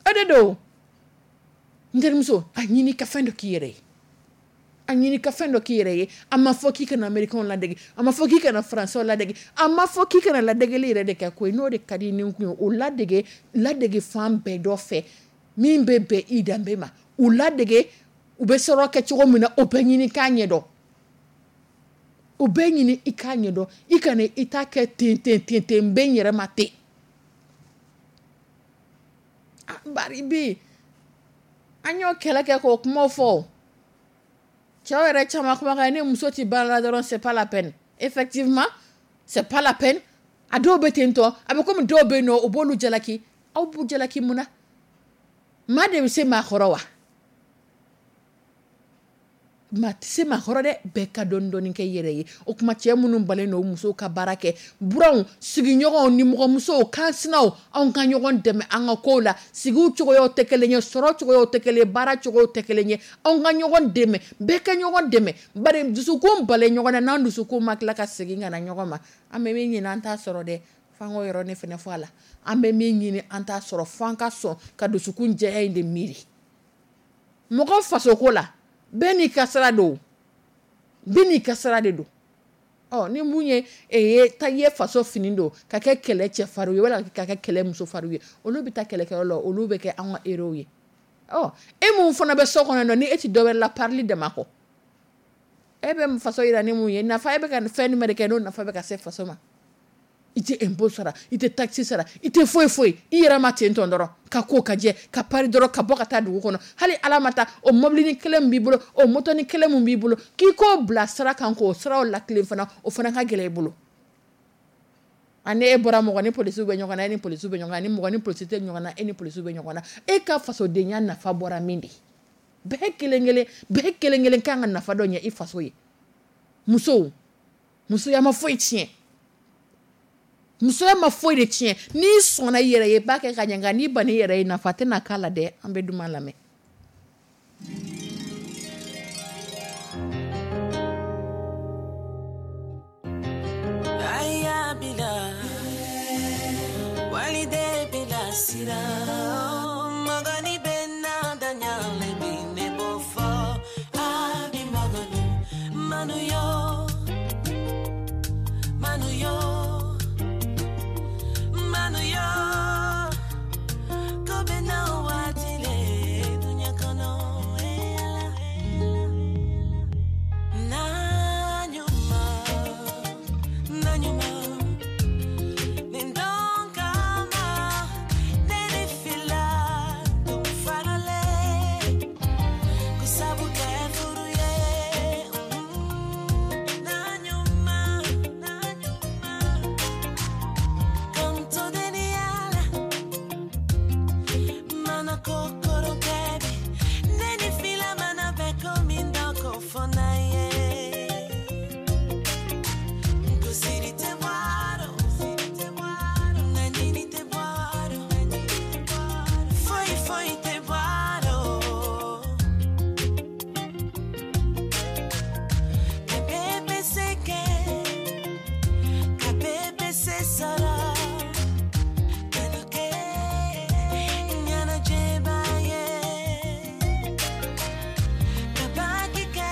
O de don. N terimuso, a ɲini ka fɛn dɔ k'i yɛrɛ ye, a ɲini ka fɛn dɔ k'i yɛrɛ ye. A ma fɔ k'i kana américain ladege, a ma fɔ k'i kana français ladege, a ma fɔ k'i kana ladegeli yɛrɛ de kɛ koyi. N'o de ka di ni kun ye, o ladege, ladege fan bɛɛ dɔ fɛ min bɛ bɛn i danbe ma. U ladege, u bɛ sɔrɔ kɛ cogo min na, o bɛɛ ɲini k'a ɲɛdɔn, o bɛɛ ɲini i k'a ɲɛdɔn. I kana i ta kɛ ten ten ten ten, n bɛ n yɛrɛ ma ten. Bari bi an y'o kɛlɛ kɛ k'o kumaw fɔ. Cɛw yɛrɛ caman kumakan, ni muso ti baara la dɔrɔn, c'est pas la peine. Effectivement, c'est pas la peine. A dɔw bɛ ten tɔ, a bɛ komi dɔw bɛ yen nɔ, o b'olu jalaki. Aw b'u jalaki mun na? Maa de bɛ se maa kɔrɔ wa? Maa tɛ se maa kɔrɔ dɛ. Bɛɛ ka dɔɔni dɔɔni kɛ i yɛrɛ ye. O kuma, cɛ minnu balen don musow ka baara kɛ, buranw, sigiɲɔgɔnw, nimɔgɔmusow, kansinaw, anw ka ɲɔgɔn dɛmɛ an ka kow la. Sigiw cogoyaw tɛ kelen ye, sɔrɔ cogoyaw tɛ kelen ye, baara cogoyaw tɛ kelen ye. Anw ka ɲɔgɔn dɛmɛ, bɛɛ ka ɲɔgɔn dɛmɛ. Bari dusukun balen ɲɔgɔn na, n'an dusukun ma tila ka segin ka na ɲɔgɔn ma, an bɛ min ɲini an t'a sɔrɔ dɛ. F'an k'o yɔrɔnin fana fɔ a la. An bɛ min ɲini an t'a sɔrɔ, f'an ka sɔn ka dusukun jɛya in de miiri. Mɔgɔ fasoko la, bɛɛ n'i ka sira don, bɛɛ n'i ka sira de don. Ɔ ni mun ye ye ta ye faso fini don ka kɛ kɛlɛ cɛfarinw ye wala ka kɛ kɛlɛ musofarinw ye, olu bɛ taa kɛlɛkɛyɔrɔ la, olu bɛ kɛ anw ka héros ye. Ɔ e mun fana bɛ so kɔnɔ, ni e ti dɔ wɛrɛ la parili dama kɔ, e bɛ faso yira ni mun ye? Nafa e bɛ ka fɛn jumɛn de kɛ n'o nafa bɛ ka se faso ma? I tɛ impôt sara, i tɛ taxe sara, i tɛ foyi foyi i yɛrɛ ma ten tɔn dɔrɔn, ka ko ka jɛ, ka pari dɔrɔn, ka bɔ ka taa dugu kɔnɔ. Hali ala ma taa o mobilinin kelen min b'i bolo, o motonin kelen min b'i bolo, k'i k'o bila sira kan, k'o siraw latilen fana, o fana ka gɛlɛn i bolo. Ani e bɔra, mɔgɔ ni polisiw bɛ ɲɔgɔn na, e ni polisiw bɛ ɲɔgɔn na, ni mɔgɔ ni polisi tɛ ɲɔgɔn na, e ni polisiw bɛ ɲɔgɔn na. E ka fasodenya nafa bɔra min de? Bɛɛ kelen kelen, bɛɛ kelen kelen kan ka nafa dɔ ɲɛ i faso ye. Musow, musoya ma foyi tiɲɛ, musoya ma foyi de tiɲɛ. N'i sɔnna i yɛrɛ ye, i b'a kɛ ka ɲɛ, nka n'i banna i yɛrɛ ye, nafa tɛna k'a la dɛ. An bɛ duman lamɛn. Aya bila walide bila sira magani bɛ na daɲale bi ne b'o fɔ a bi magani manu yo manu yo manu yo ko bɛ na waati le duɲa kɔnɔ eh ala na ɲuman na ɲuman nin don kama ne ni fila dun faralen ko sabu kɛ furu ye na ɲuman na ɲuman kanto deni ala mana kokoro kɛbi ne ni fila mana bɛ ko min dɔ ko fɔ na ye ko siri tɛ bɔrɔ ŋaɲini tɛ bɔrɔ foyi foyi tɛ bɔrɔ ka bɛɛ bɛ se kɛ ka bɛɛ bɛ se sɔrɔ kanu kɛ ɲɛnajɛba ye ka baki kɛ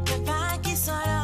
ka baki sɔrɔ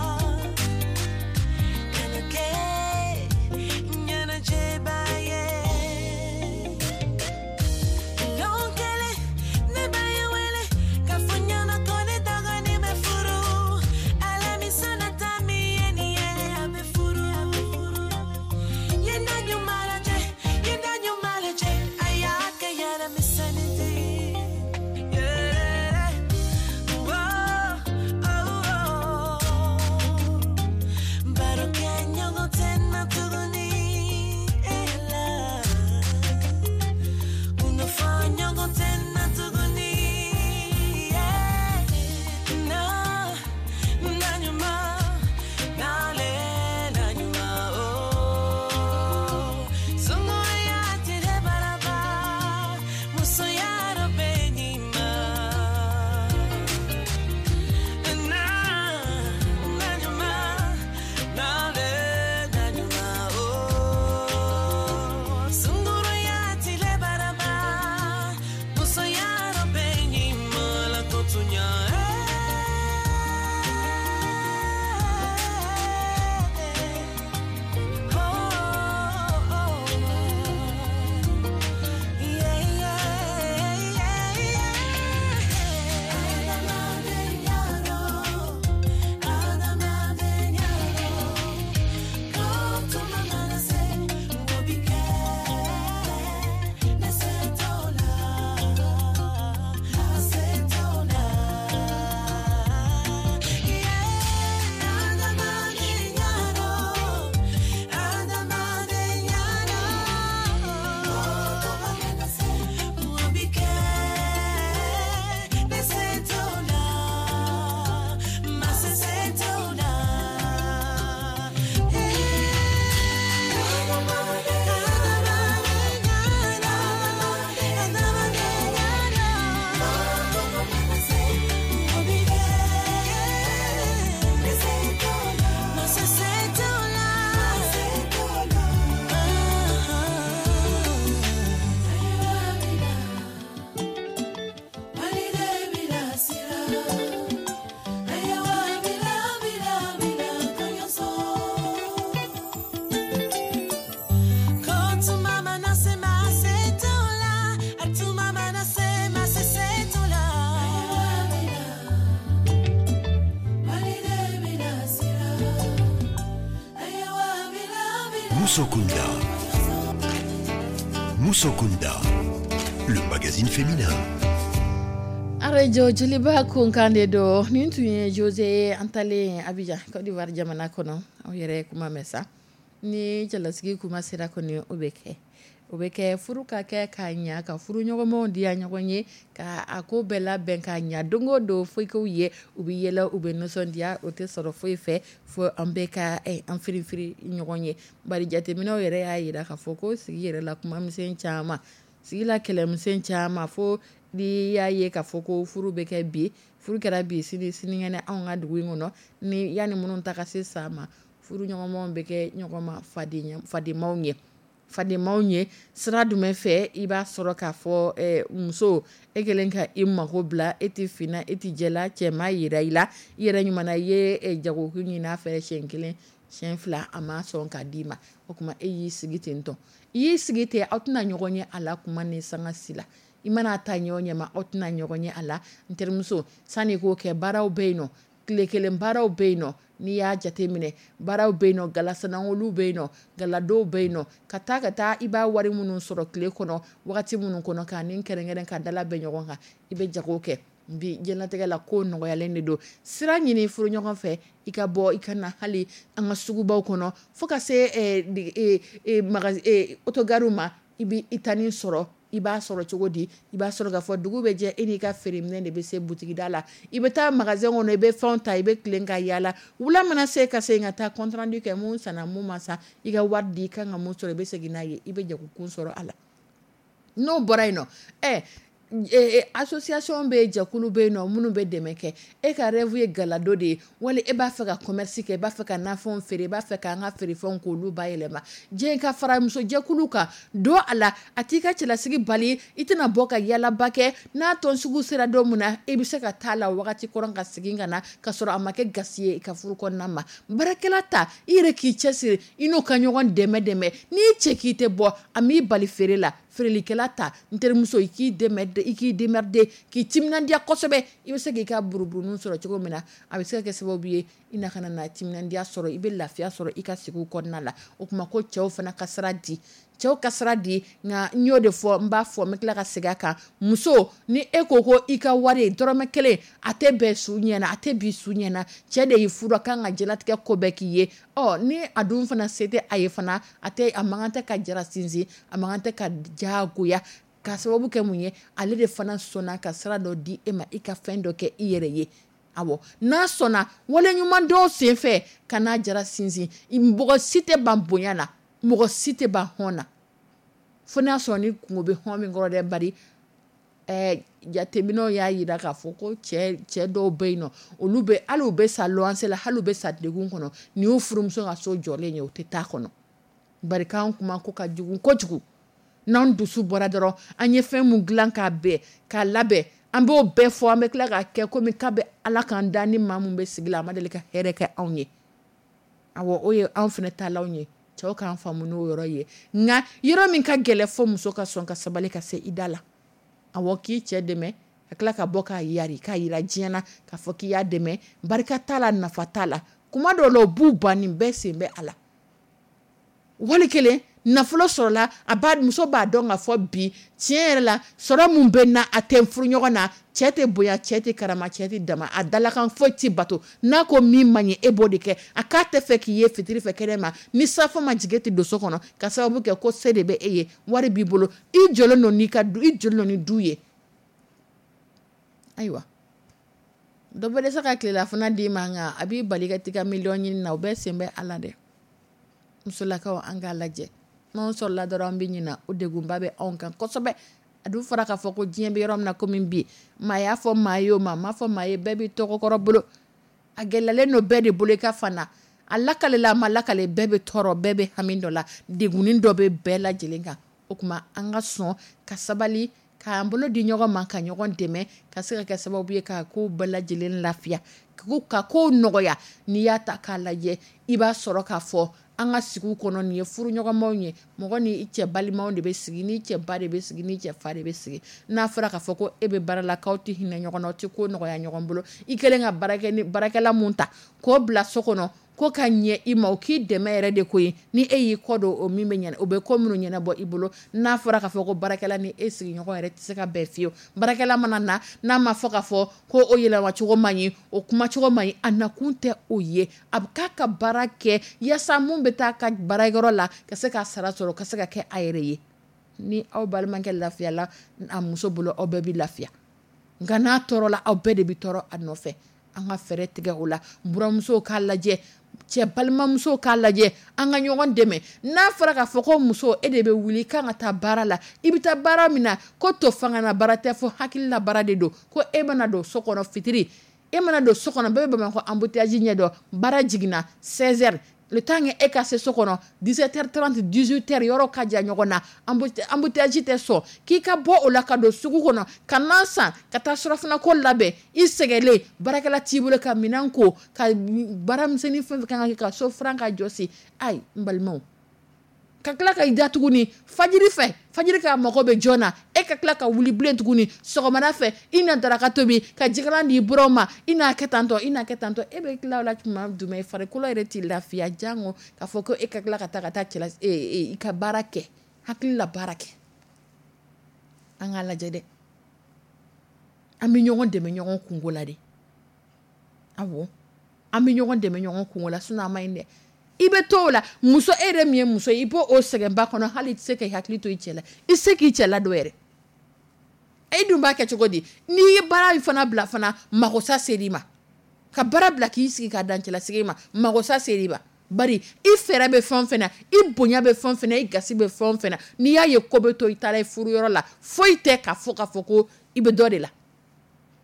Musokunda. Musokunda, le magazine féminin. Arajo Joliba kunkan de don. Nin tun ye Jose an talen Abidjan, Côte d'Ivoire jamana kɔnɔ. Aw yɛrɛ kuma mɛn sa, ni cɛlasigi kuma sera kɔni, o bɛ kɛ, o bɛ kɛ furu ka kɛ k'a ɲa, ka furu ɲɔgɔnmaw diya ɲɔgɔn ye, ka a ko bɛɛ labɛn k'a ɲa. Don o don foyikow ye, u bɛ yɛlɛ, u bɛ nisɔndiya. O tɛ sɔrɔ foyi fɛ fo an bɛ ka an firifiri ɲɔgɔn ye. Bari jateminɛw yɛrɛ y'a jira k'a fɔ ko sigi yɛrɛ la kumamisɛn caman, sigi la kɛlɛmisɛn caman, fo n'i y'a ye k'a fɔ ko furu bɛ kɛ bi, furu kɛra bi, sini sinikɛnɛ, anw ka dugu in kɔnɔ ni yanni minnu ta ka se sa ma, furu ɲɔgɔnmaw bɛ kɛ ɲɔgɔn ma fadenmaw ye, fadenmaw ye. Sira jumɛn fɛ? I b'a sɔrɔ k'a fɔ muso e kɛlen ka i mako bila, e tɛ finna, e tɛ jɛla, cɛ ma yira i la, i yɛrɛ ɲuman i ye jagokun ɲini a fɛ siɲɛ kelen, siɲɛ fila, a ma sɔn k'a d'i ma. O tuma e y'i sigi ten tɔ, i y'i sigi ten, aw tɛna ɲɔgɔn ye a la kuma ni sanga si la. I mana ta ɲɛ o ɲɛ ma, aw tɛna ɲɔgɔn ye a la. N terimuso, sani k'o kɛ, baaraw bɛ yen nɔ, tile kelen baaraw bɛ yen nɔ. N'i y'a jate minɛ, baaraw bɛ yen nɔ, galasanawoluw bɛ yen nɔ, galadonw bɛ yen nɔ, ka taa i b'a wari minnu sɔrɔ tile kɔnɔ, wagati minnu kɔnɔ, k'a ni kɛrɛnkɛrɛn ka dala bɛn ɲɔgɔn kan, i bɛ jago kɛ. Bi diɲɛlatigɛ la, ko nɔgɔyalen de don. Sira ɲini furu ɲɔgɔn fɛ, i ka bɔ i ka na hali an ka sugubaw kɔnɔ, fo ka se autogarew ma, i bɛ i tanin sɔrɔ. I b'a sɔrɔ cogo di? I b'a sɔrɔ k'a fɔ dugu bɛ jɛ, e n'i ka feereminɛ de bɛ se butigida la. I bɛ taa magasin kɔnɔ, i bɛ fɛnw ta, i bɛ tilen ka yaala. Wula mana se, ka segin ka taa compte rendu kɛ, mun sanna, mun ma san, i ka wari di, i kan ka mun sɔrɔ, i bɛ segin n'a ye, i bɛ jagokun sɔrɔ a la. N'o bɔra yen nɔ, association bɛ yen, jɛkulu bɛ yen nɔ minnu bɛ dɛmɛ kɛ. E ka rêve ye galado de ye, wali e b'a fɛ ka commerce kɛ, i b'a fɛ ka nafɛnw feere, i b'a fɛ k'an ka feerefɛnw k'olu bayɛlɛma, diɲɛ ka fara muso jɛkulu kan don a la. A t'i ka cɛlasigi bali, i tɛna bɔ ka yaalaba kɛ. N'a tɔn sugu sera don min na, e bɛ se ka taa la wagati kɔrɔ ka segin ka na, ka sɔrɔ a ma kɛ gasi ye i ka furu kɔnɔna ma. Baarakɛla ta, i yɛrɛ k'i cɛsiri, i n'o ka ɲɔgɔn dɛmɛ dɛmɛ. N'i cɛ k'i tɛ bɔ, a m'i bali feere la. Feerelikɛla ta, n terimuso, i k'i dɛmɛ, i k'i démerder, k'i timinandiya kosɛbɛ. I bɛ se k'i ka buruburunin sɔrɔ cogo min na, a bɛ se ka kɛ sababu ye i na kana na timinandiya sɔrɔ, i bɛ lafiya sɔrɔ i ka sigi kɔnɔna la. O tuma ko cɛw fana ka sira di, cɛw ka sira di. Nka n y'o de fɔ, n b'a fɔ, n bɛ tila ka segin a kan: muso, ni e ko ko i ka wari dɔrɔmɛ kelen a tɛ bɛn su ɲɛna, a tɛ bi su ɲɛna, cɛ de y'i furu, a kan ka diɲɛlatigɛ ko bɛɛ k'i ye. Ɔ ni a dun fana se tɛ a ye fana, a tɛ, a man kan tɛ ka jara sinsin, a man kan tɛ ka diyagoya. Ka sababu kɛ mun ye? Ale de fana sɔnna ka sira dɔ di e ma, i ka fɛn dɔ kɛ i yɛrɛ ye. Awɔ, n'a sɔnna wale ɲuman dɔw sen fɛ, ka n'a jara sinsin. Mɔgɔ si tɛ ban bonya na, mɔgɔ si tɛ ban hɔn na, fo n'a sɔrɔ ni kungo bɛ hɔn min kɔrɔ dɛ. Bari jateminɛw y'a jira k'a fɔ ko cɛ dɔw bɛ yen nɔ, olu bɛ hali u bɛ sa luwanse la, hali u bɛ sa degun kɔnɔ, nin y'u furumuso ka so jɔlen ye, u tɛ taa kɔnɔ. Bari k'an kuma ko ka jugu kojugu. N'an dusu bɔra dɔrɔn, an ye fɛn mun dilan k'a bɛn k'a labɛn, an b'o bɛɛ fɔ, an bɛ tila k'a kɛ komi k'a bɛ Ala k'an da ni maa mun bɛ sigi la, a ma deli ka hɛrɛ kɛ anw ye. Awɔ, o ye anw fana taalanw ye. Cɛw k'an faamu n'o yɔrɔ ye. Nka yɔrɔ min ka gɛlɛn, fo muso ka sɔn ka sabali ka se i da la. Awɔ, k'i cɛ dɛmɛ ka tila ka bɔ k'a yari k'a yira diɲɛ na k'a fɔ k'i y'a dɛmɛ, barika t'a la, nafa t'a la. Kuma dɔw la, u b'u ban, nin bɛɛ sen bɛ a la. Wali kelen nafolo sɔrɔla, a b'a muso b'a dɔn k'a fɔ bi, tiɲɛ yɛrɛ la, sɔrɔ mun bɛ na, a tɛ furu ɲɔgɔn na. Cɛ tɛ bonya, cɛ tɛ karama, cɛ tɛ dama, a dalakan foyi tɛ bato. N'a ko min man ɲɛ, e b'o de kɛ. A k'a tɛ fɛ k'i ye fitiri fɛ kɛnɛ ma, ni safo ma jigin, e tɛ don so kɔnɔ, ka sababu kɛ ko se de bɛ e ye, wari b'i bolo, i jɔlen don n'i ka du, i jɔlen don ni du ye. Ayiwa, dɔ bɛ dɛsɛ ka tilelafana d'i ma, nka a b'i bali ka t'i ka miliyɔn ɲini na. O bɛɛ sen bɛ a la dɛ. Musolakaw, an k'a lajɛ, n'anw sɔrɔla dɔrɔn, an bɛ ɲina. O degunba bɛ anw kan kosɛbɛ. A dun fɔra k'a fɔ ko diɲɛ bɛ yɔrɔ min na, komi bi, maa y'a fɔ maa ye, o maa m'a fɔ maa ye, bɛɛ b'i tɔgɔkɔrɔ bolo. A gɛlɛyalen don bɛɛ de bolo i ka fana a lakale, a ma lakale, bɛɛ bɛ tɔɔrɔ, bɛɛ bɛ hami dɔ la, degunni dɔ bɛ bɛɛ lajɛlen kan. O tuma an ka sɔn ka sabali, k'an bolo di ɲɔgɔn ma, ka ɲɔgɔn dɛmɛ, ka se ka kɛ sababu ye ka ko bɛɛ lajɛlen lafiya, ka ko nɔgɔya. N'i y'a ta k'a lajɛ, i b'a sɔrɔ k'a fɔ an ka sigi kɔnɔ, nin ye furu ɲɔgɔnmaw ye. Mɔgɔ ni i cɛ balimaw de bɛ sigi, ni cɛ ba de bɛ sigi, ni cɛ fa de bɛ sigi. N'a fɔra k'a fɔ ko e bɛ baara la, k'aw tɛ hinɛ ɲɔgɔn na, aw tɛ ko nɔgɔya ɲɔgɔn bolo, i kɛlen ka baarakɛla mun ta k'o bila so kɔnɔ. ko ka ɲɛ i ma, o k'i dɛmɛ yɛrɛ de ko ye. Ni e y'i kɔ don o min bɛ ɲɛna, o bɛ ko minnu ɲɛnabɔ i bolo, n'a fɔra k'a fɔ ko baarakɛla ni e sigiɲɔgɔn yɛrɛ tɛ se ka bɛn fiyewu. Baarakɛla mana na, n'a ma fɔ k'a fɔ ko o yɛlɛmacogo man ɲi, o kumacogo man ɲi, a nakun tɛ o ye. A bɛ k'a ka baara kɛ yaasa mun bɛ taa ka baarakɛyɔrɔ la ka se ka sara sɔrɔ, ka se ka kɛ a yɛrɛ ye. Ni aw balimakɛ lafiyala a muso bolo, aw bɛɛ bɛ lafiya. Nka n'a tɔɔrɔla, aw bɛɛ de bɛ tɔɔrɔ a nɔfɛ. An ka fɛɛrɛ tigɛ o la. Buramusow k'a lajɛ, cɛ balimamusow k'a lajɛ, an ka ɲɔgɔn dɛmɛ. N'a fɔra k'a fɔ ko muso, e de bɛ wuli i kan ka taa baara la, i bɛ taa baara min na, ko to fanga na baara tɛ, fo hakili la baara de don. Ko e mana don so kɔnɔ fitiri, e mana don so kɔnɔ, bɛɛ bɛ Bamakɔ embouteillage ɲɛ dɔn. Baara jiginna 16 heures, le temps que e ka se so kɔnɔ 17h30, 18h, yɔrɔ ka jan ɲɔgɔn na, embouteillage tɛ sɔn k'i ka bɔ o la ka don sugu kɔnɔ ka na san, ka taa surafana ko labɛn, i sɛgɛnlen, baarakɛla t'i bolo ka minɛn ko, ka baaramisɛnnin fɛn fɛn kan ka kɛ, ka so furan, ka jɔsi. Ayi, n balimaw, ka tila ka i da tuguni fajiri fɛ, fajiri ka mago bɛ jɔn na, e ka tila ka wuli bilen tuguni sɔgɔmada fɛ, i na daraka tobi, ka jikalan di buranw ma, i n'a kɛ tantɔ, i n'a kɛ tantɔ. E bɛ tila o la tuma jumɛn? Farikolo yɛrɛ t'i lafiya, jango k'a fɔ ko e ka tila ka taa ka taa cɛla i ka baara kɛ, hakili la baara kɛ. An k'a lajɛ dɛ, an bɛ ɲɔgɔn dɛmɛ ɲɔgɔn kungo la de. Awɔ, an bɛ ɲɔgɔn dɛmɛ ɲɔgɔn kungo la, sinon a ma ɲi dɛ. I bɛ to o la, muso, e yɛrɛ min ye muso ye, i b'o o sɛgɛnba kɔnɔ, hali i tɛ se k'i hakili to i cɛ la, i tɛ se k'i cɛ ladon yɛrɛ. E dun b'a kɛ cogo di? N'i ye baara in fana bila fana, makosa ser'i ma. Ka baara bila k'i sigi ka dan cɛlasigi ma, makosa ser'i ma. Bari i fɛɛrɛ bɛ fɛn o fɛn na, i bonya bɛ fɛn o fɛn na, i gasi bɛ fɛn o fɛn na, n'i y'a ye ko bɛ to i taara i furuyɔrɔ la, foyi tɛ k'a fɔ ko i bɛ dɔ de la.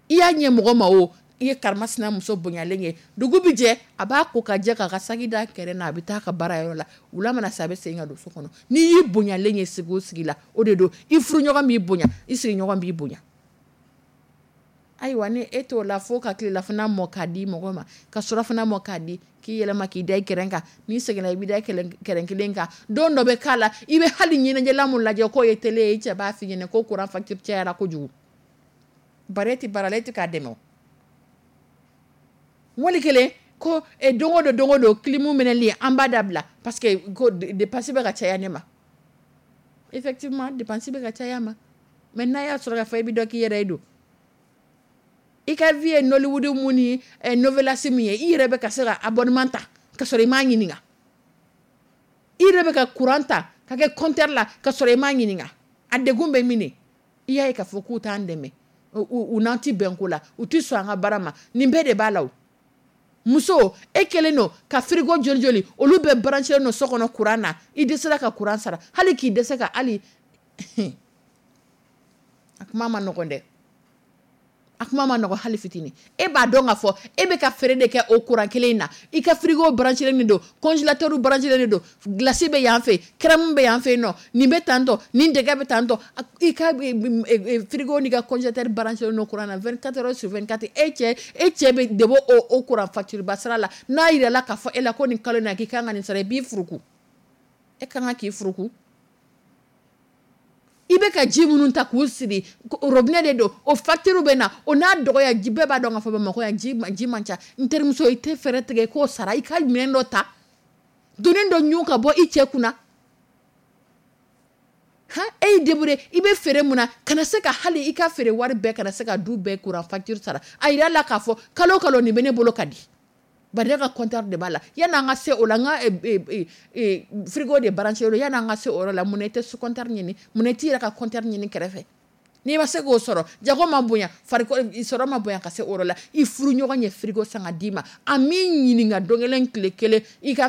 I y'a ɲɛ mɔgɔ ma o, i ye karimasina muso bonyalen ye, dugu bɛ jɛ, a b'a ko ka jɛ k'a ka saki da kɛrɛ na, a bɛ taa ka baarayɔrɔ la. Wula mana se, a bɛ segin ka don so kɔnɔ. N'i y'i bonyalen ye sigi o sigi la, o de don i furuɲɔgɔn b'i bonya, i sigiɲɔgɔn b'i bonya. Ayiwa, ni e t'o la, fo ka tilelafana mɔ k'a di mɔgɔ ma, ka surafana mɔ k'a di, k'i yɛlɛma k'i da i kɛrɛn kan. N'i seginna, i b'i da kɛrɛn kelen kan. Don dɔ bɛ k'a la, i bɛ hali ɲɛnajɛla mun lajɛ k'o ye télé ye, i cɛ b'a f'i ɲɛna ko courant facture cayara kojugu. Bari e tɛ baara la, e tɛ k'a dɛmɛ o. Wali kelen ko don o don, don o don, clim mɛnɛli an b'a dabila parce que ko dépense bɛ ka caya ne ma. Effectivement, dépense bɛ ka caya ma. Mais n'a y'a sɔrɔ k'a fɔ e bɛ dɔ k'i yɛrɛ ye don. I ka vie ye Nollywood mun ni novelas min ye, i yɛrɛ bɛ ka se ka abonnement ta ka sɔrɔ i m'a ɲininka. I yɛrɛ bɛ ka courant ta ka kɛ compteur la ka sɔrɔ i m'a ɲininka. A degun bɛ min de? I y'a ye k'a fɔ k'u t'an dɛmɛ. U n'an tɛ bɛn ko la, u tɛ sɔn an ka baara ma. Nin bɛɛ de b'a la o. Muso, e kɛlen don ka frigo joli joli, olu bɛɛ branché don so kɔnɔ courant na, i dɛsɛra ka courant sara, hali k'i dɛsɛ ka hali a kuma ma nɔgɔn dɛ. A kuma ma nɔgɔn hali fitinin. E b'a dɔn k'a fɔ e bɛ ka feere de kɛ o courant kelen in na. I ka frigo branché de don, congélateur branché de don, glace bɛ yan fɛ, crème bɛ yan fɛ yen nɔ, nin bɛ tantɔ, nin dɛgɛ bɛ tantɔ. I ka frigo n'i ka congélateur branché don courant na 24 heures sur 24. E cɛ bɛ de bɔ o courant facture ba sara la. N'a yirala k'a fɔ e la ko nin kalo in na k'i kan ka nin sara, i b'i furuku. E kan ka k'i furuku. I bɛ ka ji minnu ta k'u siri robinet de don, o facture bɛ na, o n'a dɔgɔya, ji bɛɛ b'a dɔn k'a fɔ Bamakɔ yan ji man ca. N terimuso, i tɛ fɛɛrɛ tigɛ i k'o sara, i ka minɛn dɔ ta, doni dɔ ɲun ka bɔ i cɛ kunna. Han, e y'i débrouiller, i bɛ feere mun na, kana se ka hali i ka feere wari bɛɛ kana se ka du bɛɛ courant facture sara. A yira la k'a fɔ kalo kalo nin bɛ ne bolo ka di. Bari ne ka compteur de b'a la. Yanni an ka se o la, n ka frigo de branché don, yanni an ka se o yɔrɔ la, mun na i tɛ compteur ɲini? Mun na i t'i yɛrɛ ka compteur ɲini kɛrɛfɛ? N'i ma se k'o sɔrɔ, jago ma bonya, farikolo sɔrɔ ma bonya ka se o yɔrɔ la, i furu ɲɔgɔn ye frigo san ka d'i ma, a m'i ɲininka don kelen tile kelen, i ka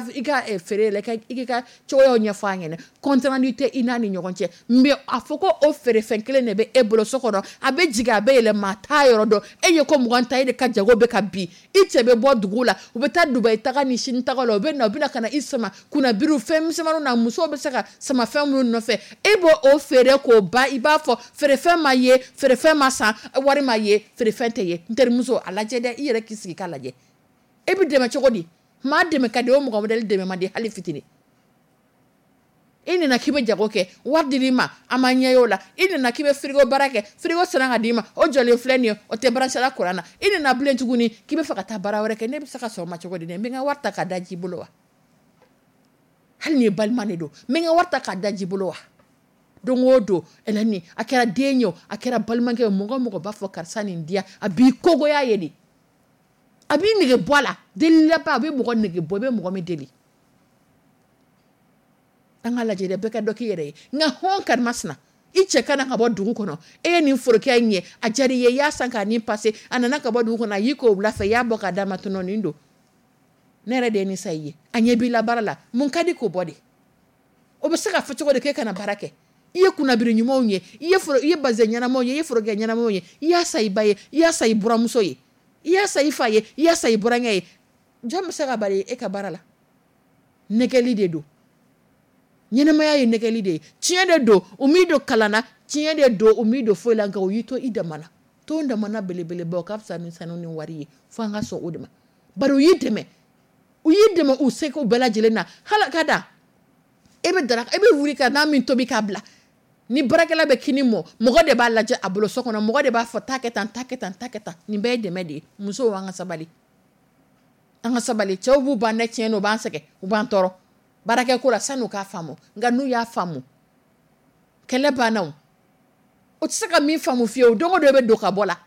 feere la, i k'i ka cogoyaw ɲɛfɔ a ɲɛna. Compte rendu tɛ i n'a ni ɲɔgɔn cɛ, mais a fɔ ko o feerefɛn kelen de bɛ e bolo so kɔnɔ, a bɛ jigin a bɛ yɛlɛ, maa t'a yɔrɔ dɔn, e ye ko 20 ta, e de ka jago bɛ ka bin, i cɛ bɛ bɔ dugu la, u bɛ taa Dubayi taga ni Sini taga la, u bɛ na, u bɛ na ka na i sama kunnabiriw fɛn misɛnmaninw na, musow bɛ se ka sama fɛn minnu nɔfɛ, e b'o o feere k'o ban, i b'a fɔ feerefɛn ma ye, feerefɛn ma san, wari ma ye, feerefɛn tɛ ye. N terimuso, a lajɛ dɛ, i yɛrɛ k'i sigi k'a lajɛ. E bɛ dɛmɛ cogo di? Maa dɛmɛ ka di o mɔgɔ modèle dɛmɛ man di hali fitinin. I nana k'i bɛ jago kɛ, wari dir'i ma, a ma ɲɛ y'o la. I nana k'i bɛ frigo baara kɛ, frigo sanna ka d'i ma, o jɔlen filɛ nin ye, o tɛ branché la courant na. I nana bilen tuguni k'i bɛ fɛ ka taa baara wɛrɛ kɛ, ne bɛ se ka sɔn o ma cogo di? N bɛ n ka wari ta k'a da ji bolo wa? Hali ni ye balima de don, n bɛ n ka wari ta k'a da ji bolo wa? Don o don, Hélène, a kɛra den ye o, a kɛra balimakɛ ye, mɔgɔ mɔgɔ b'a fɔ karisa nin diya, a b'i kogoya ye de, a b'i nege bɔ a la. Delilaba, a bɛ mɔgɔ nege bɔ, i bɛ mɔgɔ min deli. An ka lajɛ dɛ, bɛɛ ka dɔ k'i yɛrɛ ye. Nka hɔn karimasina, i cɛ ka na ka bɔ dugu kɔnɔ, e ye nin forokɛ in ye, a diyara i ye, i y'a san k'a nin pase, a nana ka bɔ dugu kɔnɔ, a y'i ko wula fɛ, i y'a bɔ k'a d'a ma, tɔnɔ nin don, ne yɛrɛ de ye nin san i ye, a ɲɛ b'i la baara la, mun ka di k'o bɔ de? O bɛ se ka fɔ cogo di k'e kana baara kɛ? I ye kunnabiri ɲumanw ye, i ye bazɛn ɲɛnamaw ye, i ye forokɛ ɲɛnamaw ye, i y'a san i ba ye, i y'a san i buramuso ye, i y'a san i fa ye, i y'a san i burankɛ ye. Jɔn bɛ se ka bali e ka baara la? Nɛgɛli de don. Ɲɛnɛmaya ye nɛgɛli de ye. Tiɲɛ de don, u m'i don kalan na, tiɲɛ de don, u m'i don foyi la, nka u y'i to i dama na. To damana belebeleba, o ka fisa ni sanu ni wari ye, fo an ka sɔn o de ma. Bari u y'i dɛmɛ, u y'i dɛmɛ u seko bɛɛ lajɛlen na. Hali ka da e bɛ daraka, e bɛ wuli ka n'a min tobi k'a bila. Ni baarakɛla bɛ kini mɔ, mɔgɔ de b'a lajɛ a bolo so kɔnɔ, mɔgɔ de b'a fɔ taa kɛ tan, taa kɛ tan, taa kɛ tan. Nin bɛɛ ye dɛmɛ de ye. Musow, an ka sabali, an ka sabali. Cɛw b'u ban dɛ, tiɲɛ don, u b'an sɛgɛn, u b'an tɔɔrɔ baarakɛ ko la san'u k'a faamu. Nka n'u y'a faamu, kɛlɛ banna o. O tɛ se ka min faamu fiyewu, don o don e bɛ don ka bɔ la,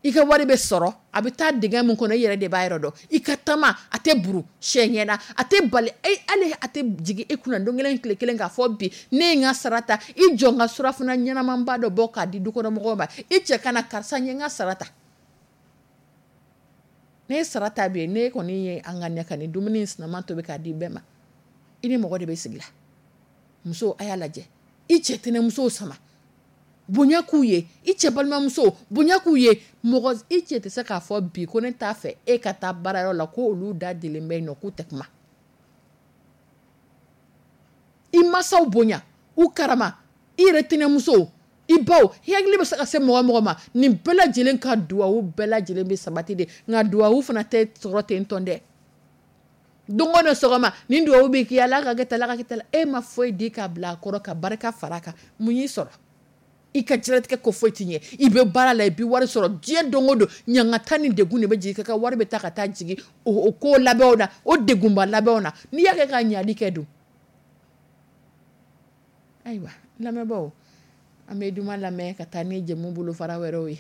i ka wari bɛ sɔrɔ, a bɛ taa dingɛ min kɔnɔ, i yɛrɛ de b'a yɔrɔ dɔn. I ka tama, a tɛ buru sɛ ɲɛna, a tɛ bali, hali a tɛ jigin e kunna don kelen tile kelen k'a fɔ bi ne ye n ka sara ta, i jɔ n ka surafana ɲɛnamanba dɔ bɔ k'a di dukɔnɔmɔgɔw ma, i cɛ ka na, karisa n ye n ka sara ta. Ne ye sara ta bi, ne kɔni ye an ka ɲɛ ka nin dumuni sinama tobi k'a di bɛɛ ma, i ni mɔgɔ de bɛ sigi la. Muso, a y'a lajɛ, i cɛ tɛnɛmusow sama, bonya k'u ye, i cɛ balimamuso bonya k'u ye. Mɔgɔ i cɛ tɛ se k'a fɔ bi ko ne t'a fɛ e ka taa baarayɔrɔ la, ko olu da delen bɛ yen nɔ, k'u tɛ kuma. I masaw bonya, u karama, i yɛrɛ tɛnɛmuso, i baw, i hakili bɛ se ka se mɔgɔ mɔgɔ ma, nin bɛɛ lajɛlen ka duwawu bɛɛ lajɛlen bɛ sabati de. Nka duwawu fana tɛ sɔrɔ ten tɔn dɛ. Don o don sɔgɔma nin duwawu bɛ k'i ala ka kɛ tan, ala ka kɛ tan, e ma foyi di k'a bila a kɔrɔ ka barika fara a kan, mun y'i sɔrɔ? I ka diɲɛlatigɛ ko foyi t'i ɲɛ, i bɛ baara la, i bɛ wari sɔrɔ, diɲɛ don o don ɲangata ni degun de bɛ jigin ka wari bɛ taa ka taa jigin o ko labɛnw na, o degunba labɛnw na. N'i y'a kɛ ka ɲali kɛ dun? Ayiwa, lamɛnbaaw, an bɛ duman lamɛn ka taa ni jɛmu bolofara wɛrɛw ye.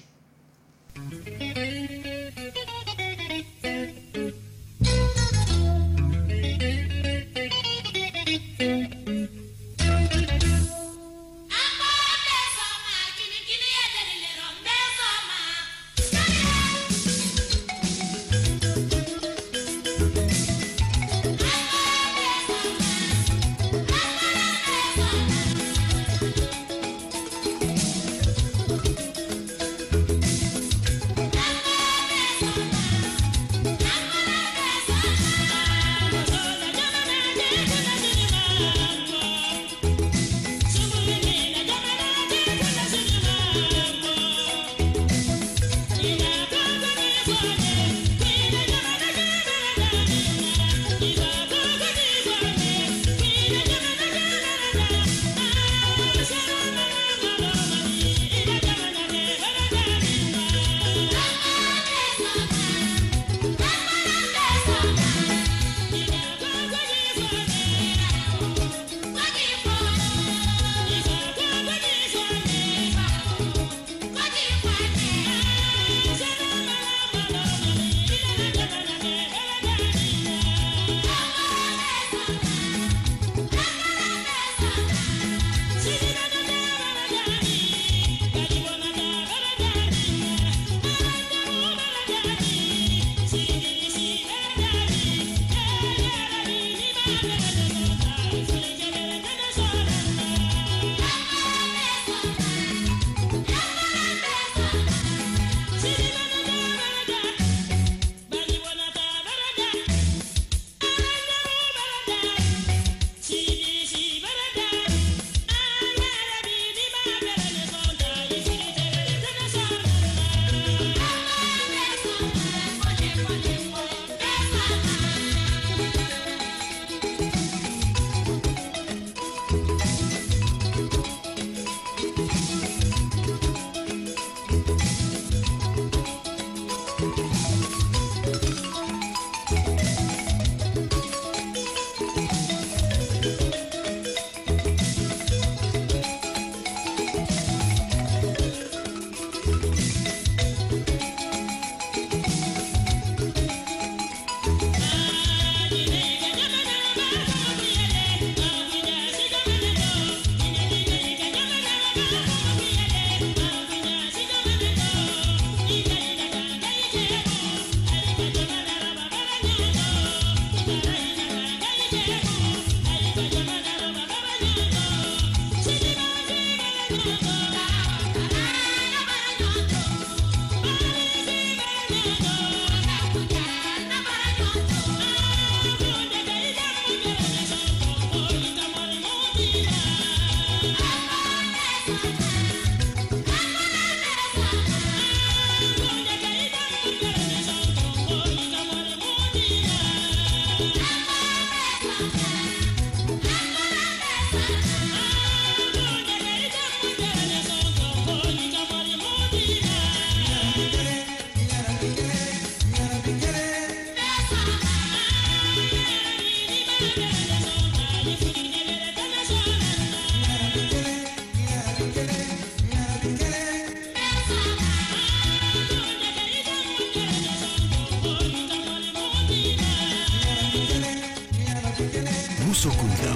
Kunda.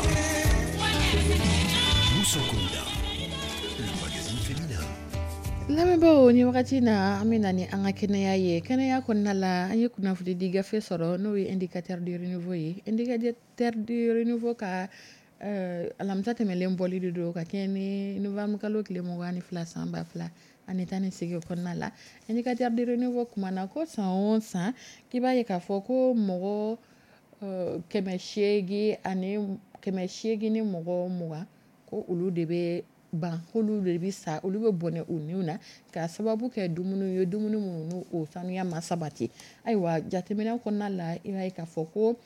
Mousso Kunda. Le magazine féminin. Lamɛnbaaw, ni wagati na, an bɛ na ni an ka kɛnɛya ye. Kɛnɛya kɔnɔna la, an ye kunnafoni di gafe sɔrɔ, n'o ye Indicateur du renouveau ye. Indicateur du renouveau ka alamisa tɛmɛlen bɔli de don ka kɛɲɛ ni novembre kalo tile 22 san 2018 kɔnɔna la. Indicateur du renouveau kumana ko san o san, k'i b'a ye k'a fɔ ko mɔgɔ 800 ani 820, ko olu de bɛ ban, k'olu de bɛ sa, olu bɛ bɔnɛ u niw na ka sababu kɛ dumuni ye, dumuni minnu n'u o sanuya ma sabati. Ayiwa, jateminɛ kɔnɔna la, i b'a ye k'a fɔ ko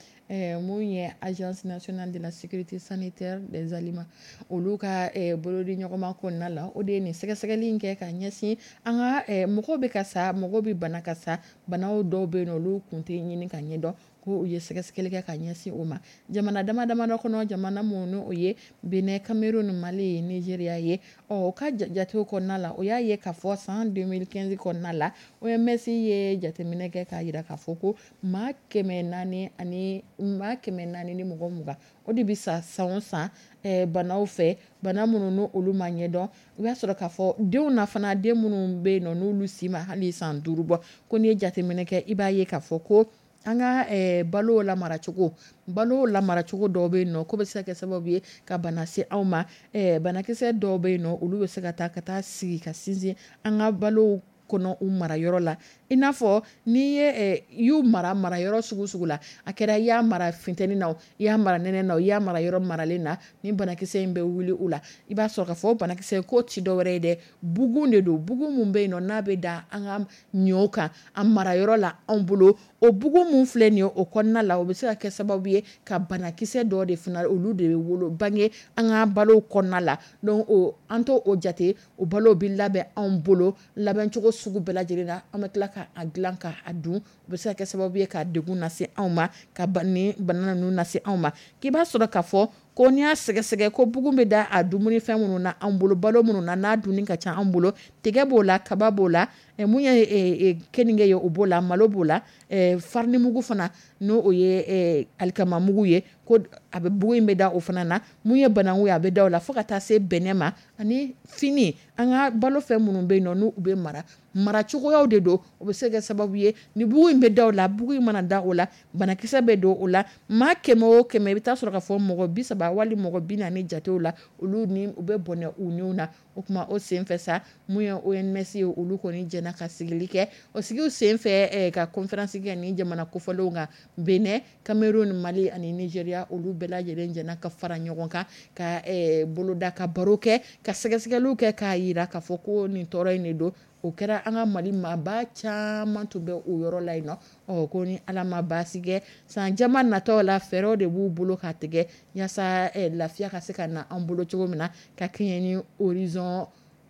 mun ye Agence nationale de la sécurité sanitaire des aliments, olu ka bolodi ɲɔgɔnma kɔnɔna la, o de ye nin sɛgɛsɛgɛli in kɛ ka ɲɛsin an ka mɔgɔw bɛ ka sa, mɔgɔw bɛ bana ka sa, banaw dɔw bɛ yen nɔ, olu kun tɛ ɲini ka ɲɛdɔn, ko u ye sɛgɛsɛgɛli kɛ ka ɲɛsin o ma jamana dama damadɔ kɔnɔ, jamana minnu o ye Benin, Cameroun, Mali, Nigeria ye. Ɔ, o ka jatew kɔnɔna la, o y'a ye k'a fɔ san 2015 kɔnɔna la, OMS ye jateminɛ kɛ k'a jira k'a fɔ ko maa 400 ani maa 420, o de bɛ sa san o san banaw fɛ, bana minnu n'olu olu ma ɲɛdɔn. I b'a sɔrɔ k'a fɔ denw na fana, den minnu bɛ yen nɔ, n'olu si ma hali san 5 bɔ, ko n'i ye jateminɛ kɛ, i b'a ye k'a fɔ ko an ka balo lamaracogo dɔw bɛ yen nɔ, ko bɛ se ka kɛ sababu ye ka bana se anw ma. Banakisɛ dɔw bɛ yen nɔ, olu bɛ se ka taa sigi ka sinsin an ka balo kɔnɔ u mara yɔrɔ la, i n'a fɔ n'i ye y'u mara mara yɔrɔ sugu sugu la, a kɛra i y'a mara funteni na, i y'a mara nɛnɛ na, i y'a mara yɔrɔ maralen na, ni banakisɛ in bɛ wuli u la. I b'a sɔrɔ k'a fɔ banakisɛ ko ti dɔwɛrɛ ye dɛ, bugun de don, bugun mun bɛ yen nɔ, n'a bɛ da an ka ɲɔw kan a mara yɔrɔ la anw bolo. O bugun mun filɛ nin ye, o kɔnɔna la, o bɛ se ka kɛ sababu ye ka banakisɛ dɔ de fana, olu de bɛ wolo bange an ka balo kɔnɔna la. Donc o an t'o o jate, o balo bɛ labɛn anw bolo labɛncogo sugu bɛɛ lajɛlen na, an bɛ tila k'a dilan k'a dun, o bɛ se ka kɛ sababu ye ka degun lase anw ma, ka ni bana ninnu lase anw ma. K'i b'a sɔrɔ k'a fɔ ko n'i y'a sɛgɛsɛgɛ ko bugun bɛ da a dumunifɛn minnu na an bolo, balo minnu na n'a dunni ka ca an bolo, tiga b'o la, kaba b'o la, mun ye keninge ye, o b'o la, malo b'o la, farinimugu fana, n'o o ye alikamamugu ye, ko a bɛ bugun in bɛ da o fana na, mun ye bananku ye, a bɛ da o la, fo ka taa se bɛnɛ ma ani fini. An ka balo fɛn minnu bɛ yen nɔ, n'u bɛ mara, maracogoyaw de don, o bɛ se ka kɛ sababu ye ni bugun in bɛ da o la. Bugun in mana da o la, banakisɛ bɛ don o la. Maa 100 o 100, i bɛ taa sɔrɔ k'a fɔ mɔgɔ 30 wali mɔgɔ 40 jatew la, olu ni u bɛ bɔnɛ u niw na. O tuma o senfɛ sa, mun ye OMS ye, olu kɔni jɛna ka sigili kɛ. O sigiw senfɛ ka conférence kɛ ni jamana kofɔlenw kan, Benin, Cameroun, Mali ani Nigeria, olu bɛɛ lajɛlen jɛna ka fara ɲɔgɔn kan ka boloda, ka baro kɛ, ka sɛgɛsɛgɛliw kɛ k'a jira k'a fɔ ko nin tɔɔrɔ in de don. O kɛra an ka Mali maaba caman tun bɛ o yɔrɔ la yen nɔ. Ɔ, ko ni Ala ma baasi kɛ, san caman natɔw la, fɛɛrɛw de b'u bolo ka tigɛ yaasa lafiya ka se ka na an bolo cogo min na ka kɛɲɛ ni horizon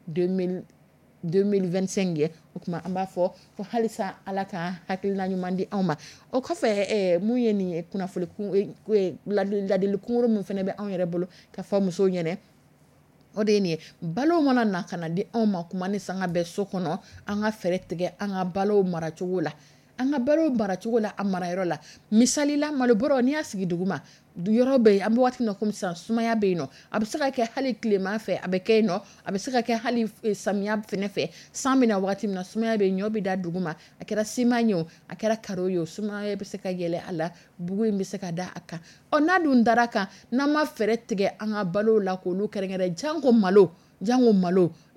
2025 ye. O tuma an b'a fɔ ko halisa Ala ka hakilina ɲuman di anw ma. O kɔfɛ, mun ye nin ye, kunnafoni ladili kunkuru min fana bɛ anw yɛrɛ bolo ka fɔ musow ɲɛna, o de ye nin ye: balo mana na ka na di anw ma kuma ni sanga bɛɛ so kɔnɔ, an ka fɛɛrɛ tigɛ an ka balo maracogo la, an ka balo maracogo la, a marayɔrɔ la. Misali la, malo bɔrɔ, n'i y'a sigi dugu ma, yɔrɔ bɛ yen, an bɛ waati min na komi sisan, sumaya bɛ yen nɔ, a bɛ se ka kɛ hali tilema fɛ a bɛ kɛ yen nɔ, a bɛ se ka kɛ hali samiya fɛnɛ fɛ, san bɛ na waati min na, sumaya bɛ yen, ɲɔ bɛ da dugu ma, a kɛra siman ye o, a kɛra karo ye o, sumaya bɛ se ka yɛlɛ a la, bugun in bɛ se ka da a kan. Ɔ, n'a dun dara kan, n'an ma fɛɛrɛ tigɛ an ka balo la k'olu kɛrɛnkɛrɛn, janko malo,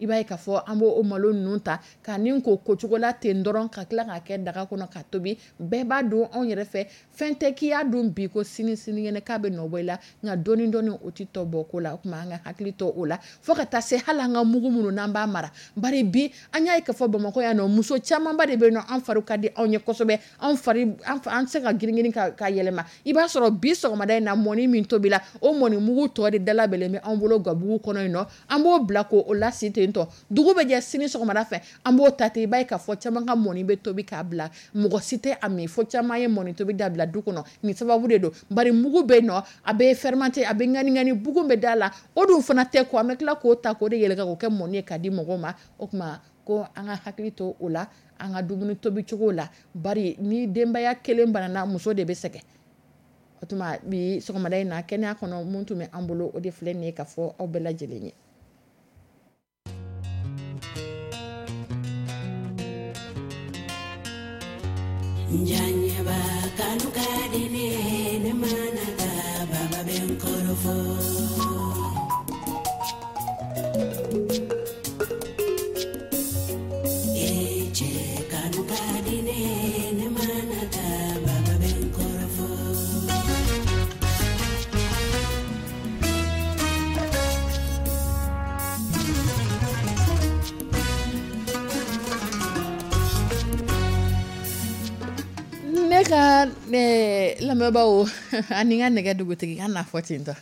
i b'a ye k'a fɔ an b'o malo ninnu ta ka nin ko cogo la ten dɔrɔn, ka tila k'a kɛ daga kɔnɔ ka tobi. Bɛɛ b'a dɔn anw yɛrɛ fɛ, fɛn tɛ k'i y'a dun bi ko sini sinikɛnɛ k'a bɛ nɔ bɔ i la, nka dɔɔni dɔɔni, o tɛ tɔ bɔ ko la. O tuma an ka hakili to o la, fo ka taa se hali an ka mugu minnu n'an b'a mara. Bari bi an y'a ye k'a fɔ Bamakɔ yan nɔ, muso camanba de bɛ yen nɔ, an fari ka di anw ye kosɛbɛ, anw fari an tɛ se ka girin girin ka yɛlɛma. I b'a sɔrɔ bi sɔgɔmada in na, mɔni min tobila, o mɔni mugu tɔ de dalabɛlen bɛ anw bolo gabugu kɔnɔ yen nɔ, an b'o bila k'o lasi ten tɔ. Dugu bɛ jɛ, sini sɔgɔmada fɛ, an b'o ta ten. I b'a ye k'a fɔ caman ka mɔni bɛ tobi k'a bila, mɔgɔ si tɛ a min, fo caman ye mɔni tobi dabila du kɔnɔ. Nin sababu de don, bari mugu bɛ yen nɔ, a bɛ fermenté, a bɛ ŋani ŋani, bugun bɛ da la, o dun fana tɛ ko an bɛ tila k'o ta k'o de yɛlɛka k'o kɛ mɔni ye k'a di mɔgɔw ma. O tuma ko an ka hakili to o la an ka dumuni tobi cogo la, bari ni denbaya kelen banana, muso de bɛ sɛgɛn. O tuma bi sɔgɔmada in na, kɛnɛya kɔnɔ, mun tun bɛ an bolo, o de filɛ nin ye ka fɔ aw bɛɛ lajɛlen ye. Njanyaba kanu ka di ne ye, ne mana taa baba bɛ n kɔrɔfɔ. E cɛ kanu ka di ne ye, ne mana taa baba bɛ n kɔrɔfɔ. Ne ka lamɛnbaaw ani n ka nɛgɛ dugutigi, an n'a fɔ ten tɔ,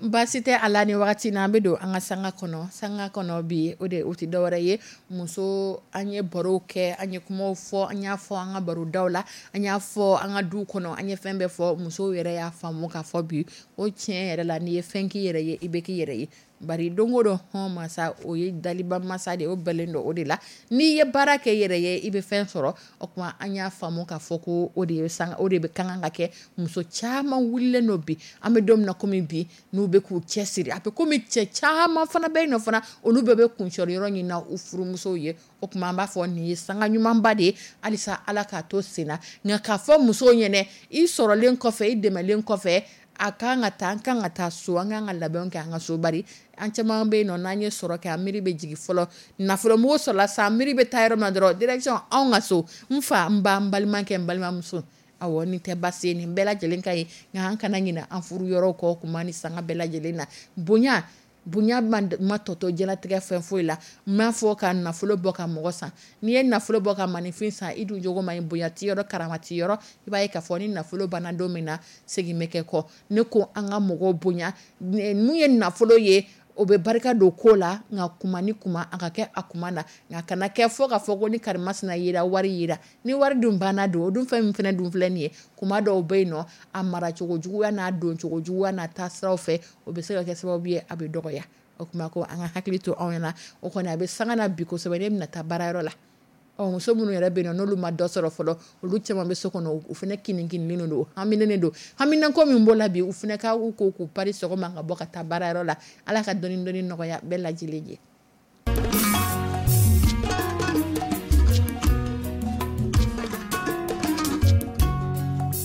baasi tɛ a la. Ni wagati na, an bɛ don an ka sanga kɔnɔ. Sanga kɔnɔ bi, o de o tɛ dɔwɛrɛ ye, muso. An ye baro kɛ, an ye kumaw fɔ, an y'a fɔ an ka barodaw la, an y'a fɔ an ka du kɔnɔ, an ye fɛn bɛɛ fɔ. Musow yɛrɛ y'a faamu k'a fɔ bi o tiɲɛ yɛrɛ la, n'i ye fɛn k'i yɛrɛ ye, i bɛ k'i yɛrɛ ye. Bari don o don, hɔn masa, o ye daliba masa de ye, o bɛlen don o de la. N'i ye baara kɛ yɛrɛ ye, i bɛ fɛn sɔrɔ. O tuma an y'a faamu k'a fɔ ko o de ye san, o de bɛ ka kan ka kɛ. Muso caman wulilen don bi, an bɛ don min na komi bi, n'u bɛ k'u cɛ siri. A bɛ komi cɛ caman fana bɛ yen nɔ fana, olu bɛɛ bɛ kuncɛ yɔrɔ ɲini na u furumusow ye. O tuma an b'a fɔ nin ye sanga ɲumanba de ye. Halisa Ala k'a to sen na. Nka k'a fɔ musow ɲɛnɛ, i sɔrɔlen kɔfɛ, i dɛmɛlen kɔfɛ, a kan ka taa, an kan ka taa so, an kan ka labɛnw kɛ an ka so. Bari an caman bɛ yen nɔ, n'an ye sɔrɔ kɛ, an miiri bɛ jigin fɔlɔ nafolo sɔrɔla sa, miiri bɛ taa yɔrɔ min dɔrɔn, direction anw ka so, n fa, n ba, n balimakɛ, n balimamuso. Awɔ, nin tɛ baasi ye, nin bɛɛ lajɛlen ka ye. Nka an kana ɲinɛ an furu yɔrɔw kɔ kuma ni sanga bɛɛ lajɛlen na. Bonya, bonya ma tɔtɔ jɛnatigɛ fɛn foyi la. N m'a fɔ ka nafolo bɔ ka mɔgɔ san. N'i ye nafolo bɔ ka maninfin san, i dun jogo ma ɲi, bonya t'i yɔrɔ, karama t'i yɔrɔ, i b'a ye k'a fɔ ni nafolo banna don min na, segin bɛ kɛ kɔ. Ne ko an ka mɔgɔw bonya. Mun ye nafolo ye, o bɛ barika don ko la, nka kuma ni kuma, a ka kɛ a kuma na. Nka kana kɛ fɔ k'a fɔ ko ni karimasina yera, wari yera. Ni wari dun banna don, o dun fɛn min fana dun filɛ nin ye, kuma dɔw bɛ yen nɔ, a maracogo juguya n'a doncogo juguya n'a taasiraw fɛ, o bɛ se ka kɛ sababu ye a bɛ dɔgɔya. O tuma ko an ka hakili to anw ɲɛna. O kɔni a bɛ sanga na bi kosɛbɛ. Ne bɛna taa baarayɔrɔ la. Ɔ, muso minnu yɛrɛ bɛ yen nɔ, n'olu ma dɔ sɔrɔ fɔlɔ, olu caman bɛ so kɔnɔ, u fana kinnikininnen don, haminen don. Haminanko min b'o la bi, u fana ka u ko k'u pari sɔgɔma ka bɔ ka taa baarayɔrɔ la. Ala ka dɔɔni dɔɔni nɔgɔya bɛɛ lajɛlen ye.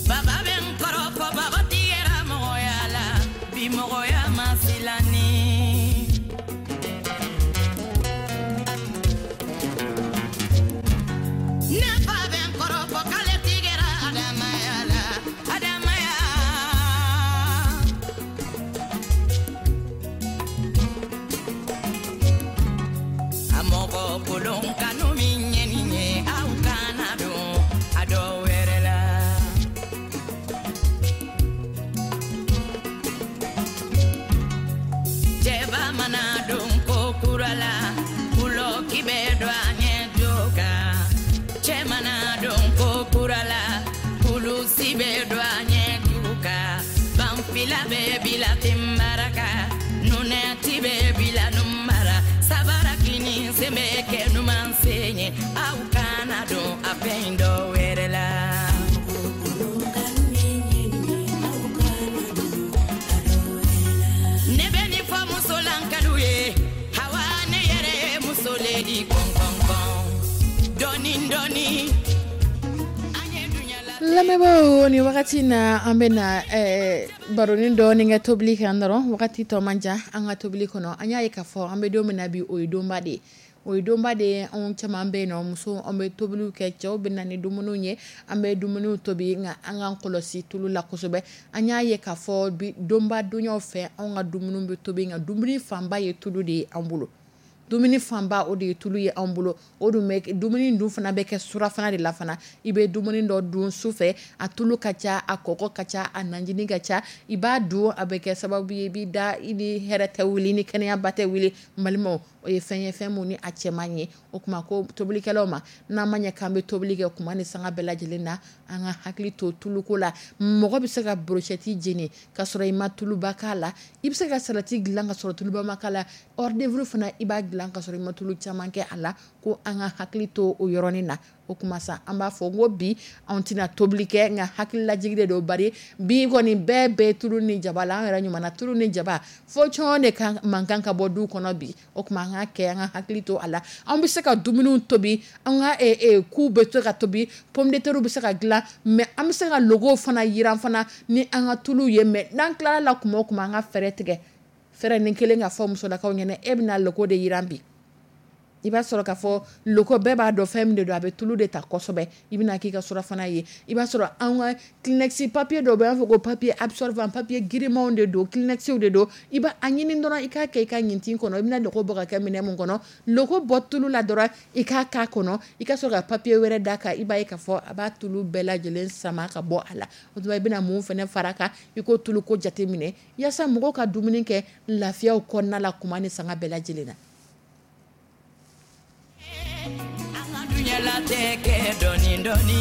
Baba bɛ n kɔrɔfɔ, baba tigɛra mɔgɔya la, bi mɔgɔya ma silanni. Ne fa bɛ n kɔrɔfɔ k'ale tigɛra Adamaya la, Adamaya. A mɔgɔ kolon kanu min ye nin ye, aw kana don a dɔ wɛrɛ la. Cɛba mana don ko kura la, kulɔki bɛ don a ɲɛ jo kan. Cɛ mana don ko kura la, kulusi bɛ don a ɲɛ ju kan. Banfila bɛ bila tenbaraka, nunɛti bɛ bila numara, sabara kini sen bɛ kɛ numan sen ye, aw kana don a fɛn dɔ wɛrɛ la. Ne bɛ nin fɔ musolankalu ye, hawa ne yɛrɛ ye muso le di kɔn kɔn kɔn. Dɔɔni dɔɔni, an ye dunya la. Lamɛnbaaw, ni wagati na, an bɛna baronin dɔɔni kɛ tobili kan dɔrɔn. Wagati tɔ man jan. An ka tobili kɔnɔ, an y'a ye k'a fɔ an bɛ don min na bi, o ye donba de ye, o ye donba de ye. Anw caman bɛ yen nɔ, muso, an bɛ tobiliw kɛ, cɛw bɛ na ni dumuniw ye, an bɛ dumuniw tobi. Nka an k'an kɔlɔsi tulu la kosɛbɛ. An y'a ye k'a fɔ bi donba dunyaw fɛ, anw ka dumuniw bɛ tobi, nka dumuni fanba ye tulu de ye an bolo. Dumuni fanba, o de ye tulu ye anw bolo. O dun bɛ dumuni dun fana bɛ kɛ surafana de la fana. I bɛ dumuni dɔ dun su fɛ, a tulu ka ca, a kɔgɔ ka ca, a najini ka ca. I b'a dun, a bɛ kɛ sababu ye i b'i da, i ni hɛrɛ tɛ wuli, ni kɛnɛyaba tɛ wuli. N balimaw, o ye fɛn ye, fɛn mun ni a cɛ man ye. O tuma ko tobilikɛlaw ma, n'an ma ɲɛ k'an bɛ tobili kɛ kuma ni sanga bɛɛ lajɛlen na, an ka hakili to tuluko la. Mɔgɔ bɛ se ka brochette jeni ka sɔrɔ i ma tuluba k'a la. I bɛ se ka salati dilan ka sɔrɔ tuluba ma k'a la. Hors d'œuvre fana, i b'a dilan. dilan ka sɔrɔ i ma tulu caman kɛ a la. Ko an ka hakili to o yɔrɔnin na. O kuma sa, an b'a fɔ n ko bi anw tɛna tobili kɛ, nka hakililajigi de don, bari bi kɔni bɛɛ bɛ tulu ni jaba la. An yɛrɛ ɲuman tulu ni jaba fo cɔn de kan man kan ka bɔ du kɔnɔ bi. O tuma an ka kɛ, an ka hakili to a la. An bɛ se ka dumuniw tobi, an ka ku bɛ se ka tobi, pomme de terre bɛ se ka dilan, mais an bɛ se ka logow fana yiran fana ni an ka tulu ye. Mais n'an tilala la kuma o kuma, an ka fɛɛrɛ tigɛ, fɛɛrɛ ni kelen ka fɔ musolakaw ɲɛna, e bɛna logo de yiran bi. I b'a sɔrɔ k'a fɔ loko bɛɛ b'a dɔn fɛn min de don, a bɛ tulu de ta kosɛbɛ. I bɛna k'i ka surafana ye, i b'a sɔrɔ an ka Kleenex papier dɔw bɛ yen, an b'a fɔ ko papier absorbant, papier girimanw de don, Kleenex de don. I b'a ɲini dɔrɔn i k'a kɛ i ka ɲintin kɔnɔ. I bɛna loko bɔ ka kɛ minɛn mun kɔnɔ, loko bɔ tulu la dɔrɔn i k'a k'a kɔnɔ, i ka sɔrɔ ka papier wɛrɛ d'a kan. I b'a ye k'a fɔ a b'a tulu bɛɛ lajɛlen sama ka bɔ a la. O tuma i bɛna mun fana fara kan, i ko tulu ko jateminɛ yaasa mɔgɔw ka dumuni kɛ lafiyaw kɔnɔna la kuma ni sanga bɛɛ lajɛlen na. An ka duɲalatigɛ kɛ dɔɔni dɔɔni.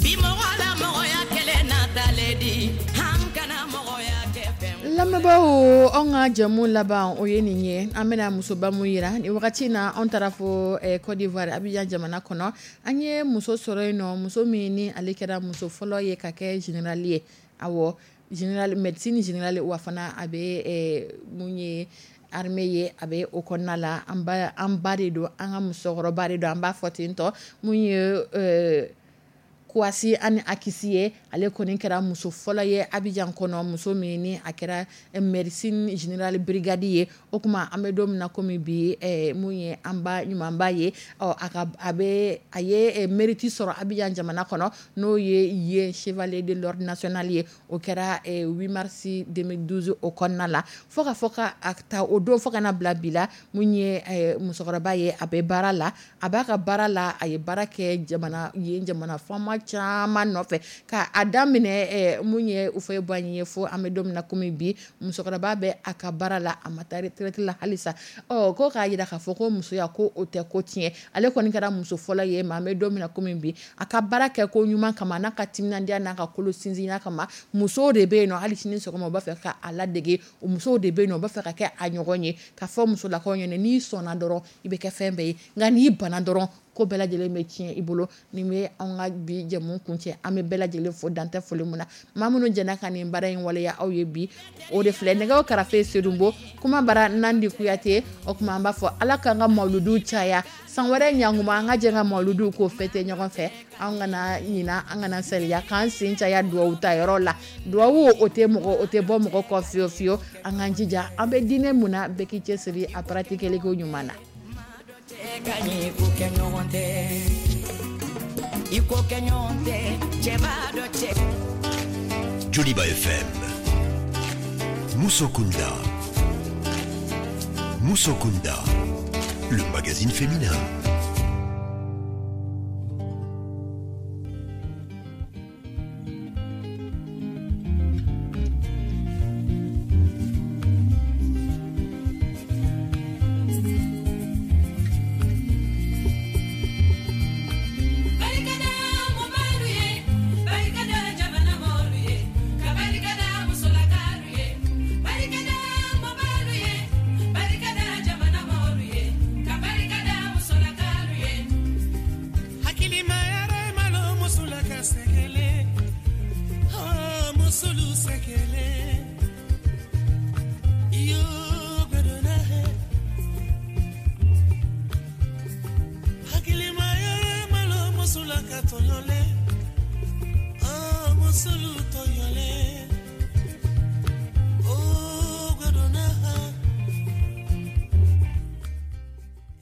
Bi mɔgɔ la mɔgɔya kɛlɛ natalen di, an kana mɔgɔya kɛ fɛn. Lamɛnbaaw, anw ka jɛmu laban o ye nin ye. An bɛna musoba mun yira nin wagati in na, anw taara fo Côte d'Ivoire, Abidjan jamana kɔnɔ. An ye muso sɔrɔ yen nɔ, muso min ni ale kɛra muso fɔlɔ ye ka kɛ général ye. Awɔ, général médecine générale, wa fana a bɛ mun ye armée ye, a bɛ o kɔnɔna la. An ba de don, an ka musokɔrɔba de don, an b'a fɔ ten tɔ. Mun ye Kouassi ani Akissi ye, ale kɔni kɛra muso fɔlɔ ye Abidjan kɔnɔ, muso min ni a kɛra médecine générale brigade ye. O kuma an bɛ don min na komi bi, mun ye an ba ɲumanba ye, ɔ a ka a bɛ a ye mérite sɔrɔ Abidjan jamana kɔnɔ, n'o ye yen chevalier de l'ordre national ye. O kɛra 8 mars 2012 o kɔnɔna la. Fo ka fɔ ka a ta o don fo ka na bila bi la, mun ye musokɔrɔba ye, a bɛ baara la, a b'a ka baara la, a ye baara kɛ jamana yen jamana faama caman nɔfɛ ka a daminɛ mun ye Houphouët-Boigny ye, fo an bɛ don min na komi bi, musokɔrɔba bɛ a ka baara la, a ma taa retraite la halisa. Ɔ ko k'a jira k'a fɔ ko musoya ko o tɛ ko tiɲɛ. Ale kɔni kɛra muso fɔlɔ ye, mais an bɛ don min na komi bi, a ka baara kɛ ko ɲuman kama, n'a ka timinandiya n'a ka kolo sinsinya kama, musow de bɛ yen nɔ hali sini sɔgɔma u b'a fɛ ka a ladege, musow de bɛ yen nɔ u b'a fɛ ka kɛ a ɲɔgɔn ye. Ka fɔ musolakaw ɲɛna, n'i sɔnna dɔrɔn i bɛ kɛ fɛn bɛɛ ye, nka n'i banna dɔrɔn ko bɛɛ lajɛlen bɛ tiɲɛ i bolo. Nin bɛ anw ka bi jɛmu kuncɛ. An bɛ bɛɛ lajɛlen fo dantɛ foli mun na. Maa minnu jɛna ka nin baara in waleya aw ye bi, o de filɛ nɛgɛw karafe Sedunbo, kuma bara Nandi Kuyate. O tuma an b'a fɔ Ala k'an ka mawuludu caya san wɛrɛ ɲankuma, an ka jɛ ka mawuludu k'o fêter ɲɔgɔn fɛ. An kana ɲina, an kana saliya, k'an sen caya duwawu ta yɔrɔ la. Duwawu o tɛ mɔgɔ, o tɛ bɔ mɔgɔ kɔ fiyewu fiyewu. An k'an jija, an bɛ diinɛ mun na, bɛɛ k'i cɛsiri a pratiquer ko ɲuman na. Joliba FM, Mousso Kunda. Mousso Kunda, le magazine féminin. Hakili